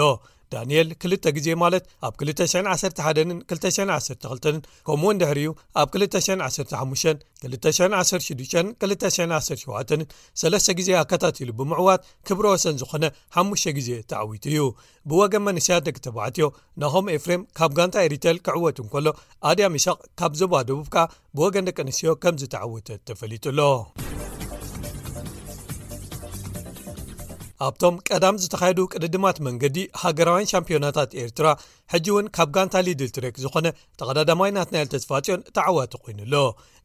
ዳንኤል ክልተ ግዜ፣ ማለት ኣብ ክልተ ሽሕን ዓሰርተ ሓደን ክልተ ሽሕን ዓሰርተ ክልተን፣ ከምኡውን ድሕሪኡ ኣብ ክልተ ሽሕን ዓሰርተ ሓሙሽተን፣ ክልተ ሽሕን ዓሰርተ ሽዱሽተን፣ ክልተ ሽሕን ዓሰርተ ሸውዓተን ሰለስተ ግዜ ኣከታቲሉ ብምዕዋት ክብረ ወሰን ዝኾነ ሓሙሽተ ግዜ ተዓዊቱ እዩ። ብወገን መንእሰያት ደቂ ተባዕትዮ፣ ናሆም ኤፍሬም ካብ ጋንታ ኤሪቴል ክዕወት እንከሎ፣ ኣድያም ይስሐቅ ካብ ዞባ ደቡብ ከኣ ብወገን ደቂ ኣንስትዮ ከም ዝተዓወተት ተፈሊጡ ኣሎ። ኣብቶም ቀዳም ዝተኻየዱ ቅድድማት መንገዲ ሃገራውያን ሻምፒዮናታት ኤርትራ፣ ሕጂ እውን ካብ ጋንታ ሊድል ትሬክ ዝኾነ ተቐዳዳማይ ናትናኤል ተስፋጽዮን ተዓዋቲ ኮይኑ ኣሎ።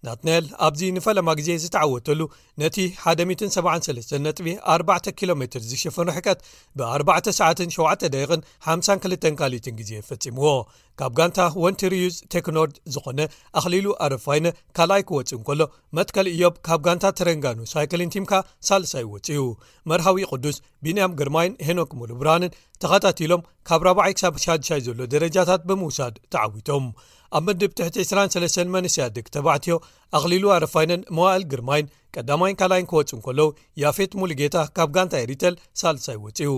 ናትናኤል ኣብዚ ንፈለማ ግዜ ዝተዓወተሉ፣ ነቲ ሓደ ሚእትን ሰብዓን ሰለስተን ነጥቢ ኣርባዕተ ኪሎ ሜትር ዝሽፍን ርሕቀት ብኣርባዕተ ሰዓትን ሸውዓተ ደቂቕን ሓምሳን ክልተን ካልኢትን ግዜ ፈጺምዎ። ካብ ጋንታ ወንቲ ሪዩዝ ቴክኖርድ ዝኾነ ኣኽሊሉ ኣረፋይነ ካልኣይ ክወጽእ እንከሎ፣ መትከል ኢዮብ ካብ ጋንታ ተረንጋኑ ሳይክሊን ቲምካ ሳልሳይ ወጺኡ። መርሃዊ ቅዱስ፣ ቢንያም ግርማይን ሄኖክ ሙሉብርሃንን ተኸታቲሎም ካብ ራብዓይ ክሳብ ሻድሻይ ዘሎ ደረጃታት ብምውሳድ ተዓዊቶም። ኣብ ምድብ ትሕቲ ዕስራን ሰለስተን መንእሰያት ደቂ ተባዕትዮ፣ ኣኽሊሉ ኣረፋይነን መዋእል ግርማይን ቀዳማይን ካልኣይን ክወጹ እንከለዉ፣ ያፌት ሙሉጌታ ካብ ጋንታ ኤሪተል ሳልሳይ ወጺኡ።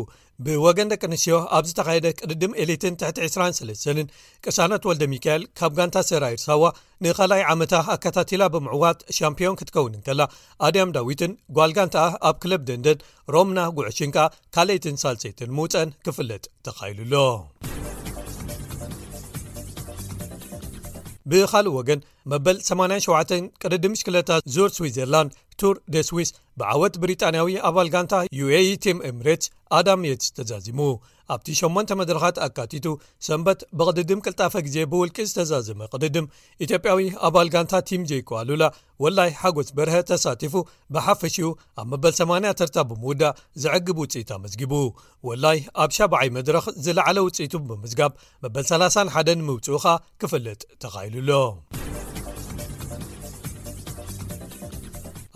ብወገን ደቂ ኣንስትዮ ኣብ ዝተኻየደ ቅድድም ኤሊትን ትሕቲ ዕስራን ሰለስተንን፣ ቅሳነት ወልደ ሚካኤል ካብ ጋንታ ሰራይር ሳዋ ንኻልኣይ ዓመታ ኣከታቲላ ብምዕዋት ሻምፒዮን ክትከውን እንከላ፣ ኣድያም ዳዊትን ጓል ጋንታኣ ኣብ ክለብ ደንደን ሮምና ጉዕሽን ከኣ ካልኣይትን ሳልሰይትን ምውጸን ክፍለጥ ተኻኢሉ ኣሎ። ብኻልእ ወገን፣ መበል ሰማንያን ሸውዓተን ቅድድም ብሽክለታ ዙር ስዊዘርላንድ፣ ቱር ደ ስዊስ፣ ብዓወት ብሪጣንያዊ ኣባል ጋንታ ዩ ኤ ኢ ቲም ኤምሬትስ ኣዳም የትስ ተዛዚሙ። ኣብቲ ሸሞንተ መድረኻት ኣካቲቱ፣ ሰንበት ብቕድድም ቅልጣፈ ግዜ ብውልቂ ዝተዛዘመ ቅድድም፣ ኢትዮጵያዊ ኣባል ጋንታ ቲም ጄይኮ ኣሉላ ወላይ ሓጎስ በርሀ ተሳቲፉ፣ ብሓፈሽኡ ኣብ መበል ሰማንያ ተርታ ብምውዳእ ዘዕግብ ውጽኢት ኣመዝጊቡ። ወላይ ኣብ ሻብዓይ መድረኽ ዝለዓለ ውጽኢቱ ብምምዝጋብ፣ መበል ሰላሳን ሓደን ምውጽኡ ኸኣ ክፍለጥ ተኻኢሉ ኣሎ።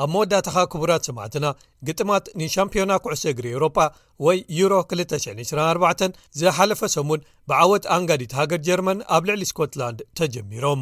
ኣብ መወዳእታኻ ክቡራት ሰማዕትና፣ ግጥማት ንሻምፒዮና ኩዕሶ እግሪ ኤውሮጳ ወይ ዩሮ ክልተ ሽሕን ዕስራን ኣርባዕተን ዝሓለፈ ሰሙን ብዓወት ኣንጋዲት ሃገር ጀርመን ኣብ ልዕሊ ስኮትላንድ ተጀሚሮም።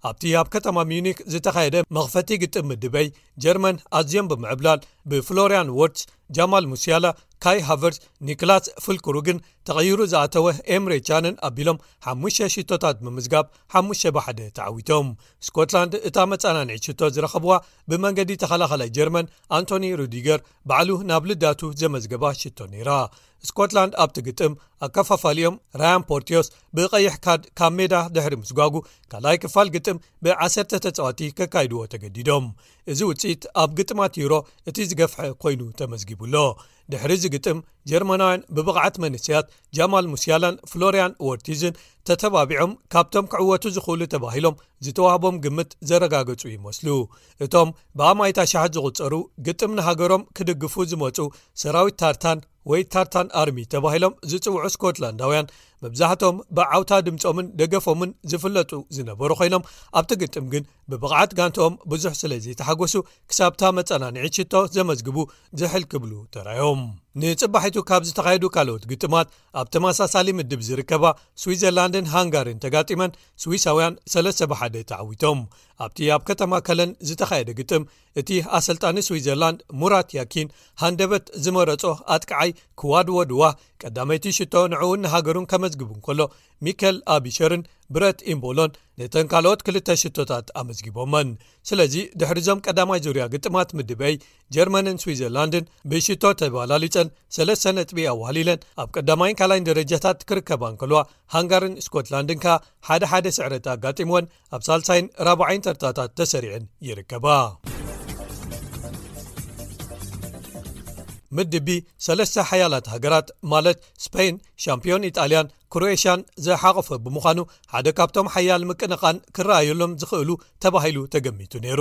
ኣብቲ ኣብ ከተማ ሚዩኒክ ዝተኻየደ መኽፈቲ ግጥም ምድበይ፣ ጀርመን ኣዝዮም ብምዕብላል ብፍሎርያን ዎርትስ፣ ጃማል ሙሲያላ፣ ካይ ሃቨርትስ፣ ኒክላስ ፍልክሩግን ተቐይሩ ዝኣተወ ኤምሬ ቻንን ኣቢሎም ሓሙሽተ ሽቶታት ብምምዝጋብ ሓሙሽተ ብሓደ ተዓዊቶም። ስኮትላንድ እታ መጸናንዒት ሽቶ ዝረኸብዋ ብመንገዲ ተኸላኸላይ ጀርመን ኣንቶኒ ሩዲገር ባዕሉ ናብ ልዳቱ ዘመዝገባ ሽቶ ነይራ። ስኮትላንድ ኣብቲ ግጥም ኣከፋፋሊኦም ራያን ፖርቲዮስ ብቐይሕ ካርድ ካብ ሜዳ ድሕሪ ምስጓጉ፣ ካልኣይ ክፋል ግጥም ብ10 ተጻወቲ ከካይድዎ ተገዲዶም። እዚ ውጽኢት ኣብ ግጥማት ዩሮ እቲ ዝገፍሐ ኮይኑ ተመዝጊቡ ኣሎ። ድሕሪ እዚ ግጥም፣ ጀርመናውያን ብብቕዓት መንእሰያት ጃማል ሙሲያላን ፍሎሪያን ዎርቲዝን ተተባቢዖም ካብቶም ክዕወቱ ዝኽእሉ ተባሂሎም ዝተዋህቦም ግምት ዘረጋገጹ ይመስሉ። እቶም ብኣማኢት ኣሽሓት ዝቑጸሩ ግጥም ንሃገሮም ክድግፉ ዝመጹ ሰራዊት ታርታን ወይ ታርታን ኣርሚ ተባሂሎም ዝጽውዑ ስኮትላንዳውያን፣ መብዛሕትኦም ብዓውታ ድምጾምን ደገፎምን ዝፍለጡ ዝነበሩ ኮይኖም፣ ኣብቲ ግጥም ግን ብብቕዓት ጋንትኦም ብዙሕ ስለ ዘይተሓጎሱ፣ ክሳብታ መጸናንዒት ሽቶ ዘመዝግቡ ዝሕል ክብሉ ተራዮም። ንጽባሒቱ ካብ ዝተኻየዱ ካልኦት ግጥማት፣ ኣብ ተመሳሳሊ ምድብ ዝርከባ ስዊዘርላንድን ሃንጋርን ተጋጢመን፣ ስዊሳውያን ሰለስተ ብ ሓደ ተዓዊቶም። ኣብቲ ኣብ ከተማ ከለን ዝተኻየደ ግጥም፣ እቲ ኣሰልጣኒ ስዊዘርላንድ ሙራት ያኪን ሃንደበት ዝመረጾ ኣጥቃዓይ ክዋድዎ ድዋ ቀዳመይቲ ሽቶ ንዕኡን ንሃገሩን ከመዝግቡ እንከሎ፣ ሚከል ኣቢሸርን ብረት ኢምቦሎን ነተን ካልኦት ክልተ ሽቶታት ኣመዝጊቦመን። ስለዚ ድሕሪዞም ቀዳማይ ዙርያ ግጥማት ምድብ ኤ፣ ጀርመንን ስዊዘርላንድን ብሽቶ ተባላሊጸን ሰለስተ ነጥቢ ኣዋህሊለን ኣብ ቀዳማይን ካልኣይን ደረጃታት ክርከባ እንከልዋ፣ ሃንጋርን ስኮትላንድን ከኣ ሓደ ሓደ ስዕረት ኣጋጢምወን ኣብ ሳልሳይን ራብዓይን ተርታታት ተሰሪዐን ይርከባ። ምድብ ቢ፣ ሰለስተ ሓያላት ሃገራት ማለት ስፔን፣ ሻምፒዮን ኢጣልያን ክሮኤሽያን ዝሓቖፈ ብምዃኑ፣ ሓደ ካብቶም ሓያል ምቅንቓን ክረኣየሎም ዝኽእሉ ተባሂሉ ተገሚቱ ነይሩ።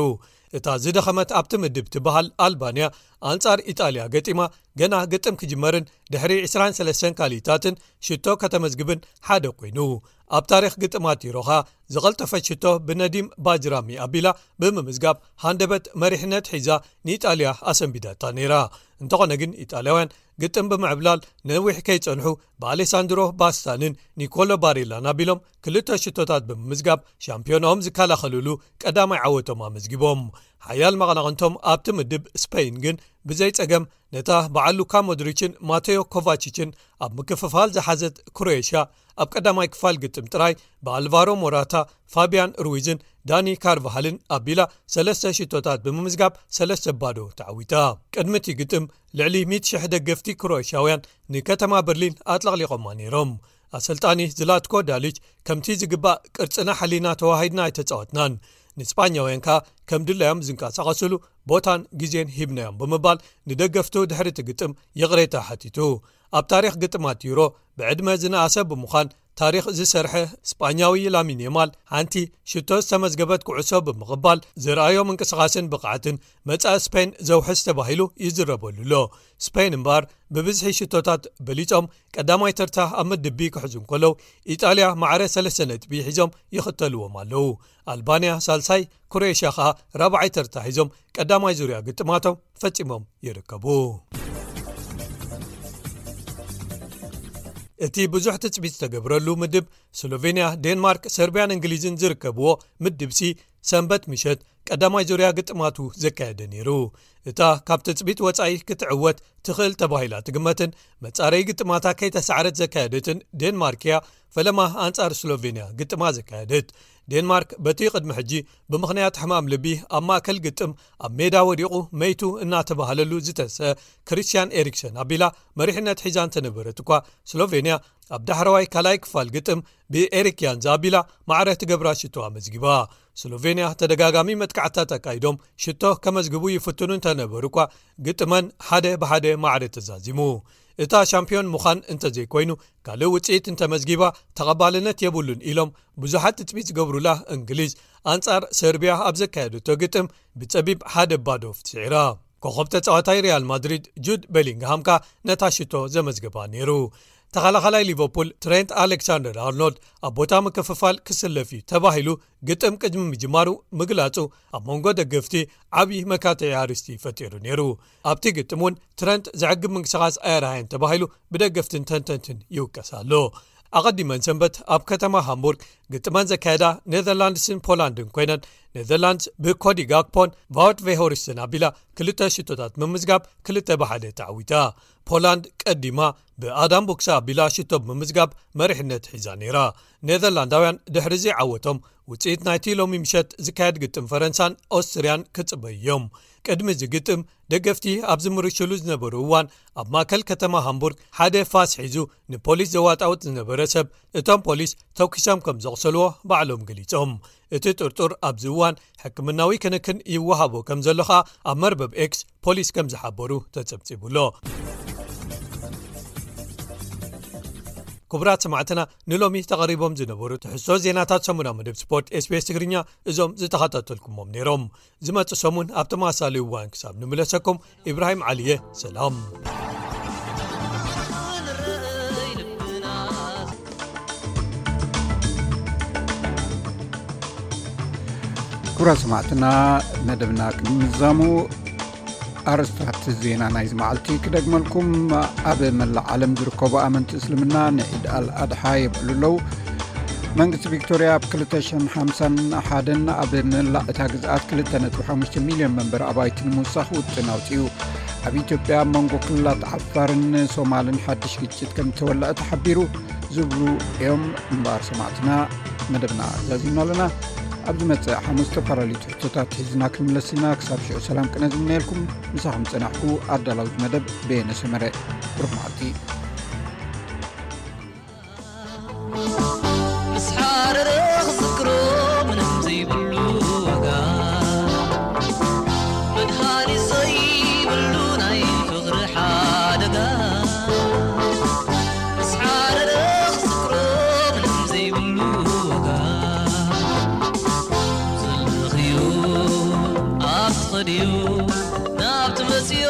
እታ ዝደኸመት ኣብቲ ምድብ ትበሃል ኣልባንያ፣ ኣንጻር ኢጣልያ ገጢማ፣ ገና ግጥም ክጅመርን ድሕሪ ዕስራን ሰለስተን ካልኢታትን ሽቶ ከተመዝግብን ሓደ ኮይኑ፣ ኣብ ታሪኽ ግጥማት ዩሮ ኸኣ ዝቐልጠፈት ሽቶ ብነዲም ባጅራሚ ኣቢላ ብምምዝጋብ ሃንደበት መሪሕነት ሒዛ ንኢጣልያ ኣሰንቢዳታ ነይራ። እንተኾነ ግን፣ ኢጣልያውያን ግጥም ብምዕብላል ነዊሕ ከይጸንሑ፣ ብኣሌሳንድሮ ባስታንን ኒኮሎ ባሬላን ኣቢሎም ክልተ ሽቶታት ብምምዝጋብ፣ ሻምፒዮናኦም ዝከላኸልሉ ቀዳማይ ዓወቶም ኣመዝጊቦም። ሓያል መቐናቕንቶም ኣብቲ ምድብ ስፔን ግን ብዘይ ጸገም ነታ በዓል ሉካ ሞድሪችን ማቴዮ ኮቫቺችን ኣብ ምክፍፋል ዝሓዘት ክሮኤሽያ፣ ኣብ ቀዳማይ ክፋል ግጥም ጥራይ ብኣልቫሮ ሞራታ፣ ፋቢያን ሩዊዝን ዳኒ ካርቫሃልን ኣቢላ ሰለስተ ሽቶታት ብምምዝጋብ ሰለስተ ባዶ ተዓዊታ። ቅድሚ እቲ ግጥም፣ ልዕሊ ሚእቲ ሽሕ ደገፍቲ ክሮኤሽያውያን ንከተማ በርሊን ኣጥለቕሊቖማ ነይሮም። ኣሰልጣኒ ዝላትኮ ዳሊች፣ "ከምቲ ዝግባእ ቅርጽና ሓሊና ተዋሂድና ኣይተጻወትናን። ንስጳኛውያን ከኣ ከም ድላዮም ዝንቀሳቐስሉ ቦታን ግዜን ሂብናዮም" ብምባል ንደገፍቱ ድሕሪ እቲ ግጥም ይቕሬታ ሓቲቱ። ኣብ ታሪኽ ግጥማት ዩሮ ብዕድመ ዝነኣሰ ብምዃን ታሪኽ ዝሰርሐ ስጳኛዊ ላሚን የማል፣ ሓንቲ ሽቶ ዝተመዝገበት ኩዕሶ ብምቕባል ዘርኣዮ ምንቅስቓስን ብቕዓትን መጻኢ ስፔን ዘውሕስ ተባሂሉ ይዝረበሉ ኣሎ። ስፔን እምበኣር ብብዝሒ ሽቶታት በሊጾም ቀዳማይ ተርታ ኣብ ምድብ ቢ ክሕዙ እንከለዉ፣ ኢጣልያ ማዕረ ሰለስተ ነጥቢ ሒዞም ይኽተልዎም ኣለዉ። ኣልባንያ ሳልሳይ፣ ክሮኤሽያ ኸኣ ራብዓይ ተርታ ሒዞም ቀዳማይ ዙርያ ግጥማቶም ፈጺሞም ይርከቡ። እቲ ብዙሕ ትጽቢት ዝተገብረሉ ምድብ፣ ስሎቬንያ፣ ዴንማርክ፣ ሰርቢያን እንግሊዝን ዝርከብዎ ምድብ ሲ፣ ሰንበት ምሸት ቀዳማይ ዙርያ ግጥማቱ ዘካየደ ነይሩ። እታ ካብ ትጽቢት ወጻኢ ክትዕወት ትኽእል ተባሂላ ትግመትን መጻረዪ ግጥማታ ከይተሳዕረት ዘካየደትን ዴንማርክ እያ፣ ፈለማ ኣንጻር ስሎቬንያ ግጥማ ዘካየደት። ዴንማርክ በቲ ቅድሚ ሕጂ ብምኽንያት ሕማም ልቢ ኣብ ማእከል ግጥም ኣብ ሜዳ ወዲቑ መይቱ እናተባህለሉ ዝተሰ ክሪስቲያን ኤሪክሰን ኣቢላ መሪሕነት ሒዛ እንተነበረት እኳ፣ ስሎቬንያ ኣብ ዳሕረዋይ ካልኣይ ክፋል ግጥም ብኤሪክ ያንዝ ኣቢላ ማዕረ ትገብራ ሽቶ ኣመዝጊባ። ስሎቬንያ ተደጋጋሚ መጥቃዕታት ኣካይዶም ሽቶ ከመዝግቡ ይፍትኑ እንተነበሩ እኳ፣ ግጥመን ሓደ ብሓደ ማዕረ ተዛዚሙ። እታ ሻምፒዮን ምዃን እንተዘይኮይኑ፣ ካልእ ውጽኢት እንተመዝጊባ ተቐባልነት የብሉን ኢሎም ብዙሓት ትጽቢት ዝገብሩላ እንግሊዝ፣ ኣንጻር ሰርቢያ ኣብ ዘካየደቶ ግጥም ብጸቢብ ሓደ ባዶ ትስዒራ። ኮኸብ ተጻዋታይ ሪያል ማድሪድ ጁድ ቤሊንግሃም ከኣ ነታ ሽቶ ዘመዝገባ ነይሩ። ተኸላኻላይ ሊቨርፑል ትሬንት ኣሌክሳንደር ኣርኖልድ ኣብ ቦታ ምክፍፋል ክስለፍ እዩ ተባሂሉ ግጥም ቅድሚ ምጅማሩ ምግላጹ፣ ኣብ መንጎ ደገፍቲ ዓቢ መካትዒ ኣርእስቲ ፈጢሩ ነይሩ። ኣብቲ ግጥም እውን ትረንት ዘዕግብ ምንቅስቓስ ኣየርኣየን ተባሂሉ ብደገፍትን ተንተንትን ይውቀስ ኣሎ። ኣቐዲመን ሰንበት ኣብ ከተማ ሃምቡርግ ግጥመን ዘካየዳ ኔዘርላንድስን ፖላንድን ኮይነን፣ ኔዘርላንድስ ብኮዲ ጋክፖን ቫውት ቬሆሪስትን ኣቢላ ክልተ ሽቶታት ብምምዝጋብ ክልተ ብሓደ ተዓዊታ። ፖላንድ ቀዲማ ብኣዳም ቦክሳ ኣቢላ ሽቶ ብምምዝጋብ መሪሕነት ሒዛ ነይራ። ኔዘርላንዳውያን ድሕሪ እዚ ዓወቶም ውፅኢት ናይቲ ሎሚ ምሸት ዝካየድ ግጥም ፈረንሳን ኦስትርያን ክፅበዩ እዮም። ቅድሚ እዚ ግጥም ደገፍቲ ኣብ ዝምርሽሉ ዝነበሩ እዋን ኣብ ማእከል ከተማ ሃምቡርግ ሓደ ፋስ ሒዙ ንፖሊስ ዘዋጣውጥ ዝነበረ ሰብ እቶም ፖሊስ ተኩሶም ከም ዘቑሰልዎ ባዕሎም ገሊጾም። እቲ ጥርጡር ኣብዚ እዋን ሕክምናዊ ክንክን ይወሃቦ ከም ዘሎ ኸኣ ኣብ መርበብ ኤክስ ፖሊስ ከም ዝሓበሩ ተጸብጺቡ ኣሎ። ክቡራት ሰማዕትና፣ ንሎሚ ተቐሪቦም ዝነበሩ ትሕዝቶ ዜናታት ሰሙናዊ መደብ ስፖርት ኤስቢኤስ ትግርኛ እዞም ዝተኸታተልኩሞም ነይሮም። ዝመጽእ ሰሙን ኣብ ተመሳሳሊ እዋን ክሳብ ንምለሰኩም፣ ኢብራሂም ዓሊየ፣ ሰላም። ክቡራት ሰማዕትና፣ መደብና ቅድሚ ምዛሙ ኣርእስታት ዜና ናይዚ መዓልቲ ክደግመልኩም። ኣብ መላእ ዓለም ዝርከቡ ኣመንቲ እስልምና ንዒድ ኣል ኣድሓ የብዕሉ ኣለዉ። መንግስቲ ቪክቶርያ ኣብ ክልተ ሽሕን ሓምሳን ሓደን ኣብ መላእ እታ ግዝኣት ክልተ ነጥቢ ሓሙሽተ ሚልዮን መንበሪ ኣባይቲ ንምውሳኽ ውጥን ኣውጺኡ። ኣብ ኢትዮጵያ ኣብ መንጎ ክልላት ዓፋርን ሶማልን ሓድሽ ግጭት ከም ዝተወልዐ ተሓቢሩ ዝብሉ እዮም። እምበኣር ሰማዕትና፣ መደብና ዛዚምና ኣለና። ኣብ ዝመጽእ ሓሙስ ዝተፈላለዩ ትሕዝቶታት ሒዝና ክንምለስ ኢና። ክሳብ ሽዑ ሰላም ቅነ ዝምነየልኩም። ምሳኹም ጸናሕኩ ኣዳላዊ መደብ በየነ ሰመረ። ብሩኽ መዓልቲ። ምስ ሓረረ ክዝክሮ ምንም ዘይብሉ ዋጋ፣ መድሃኒት ዘይብሉ ናይ ፍቕሪ ሓደጋ። ምስ ሓረረ ክዝክሮ ምንም ዘይብሉ ዋጋ፣ ዘለኽዮ ኣብ ትኸድዮ ናብ ትመጽዮ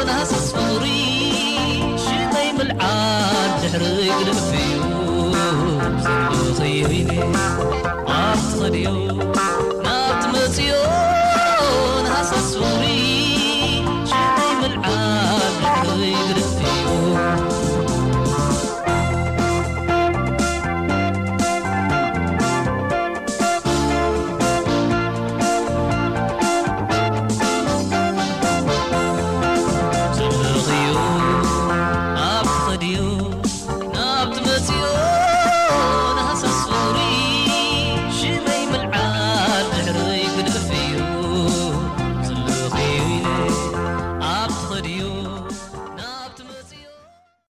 ናህስስ ፍቕሪ ሽመይ ምልዓል ድሕሪ ግድፍዮ። ዘለኽዮ ኢለ ኣብ ትኸድዮ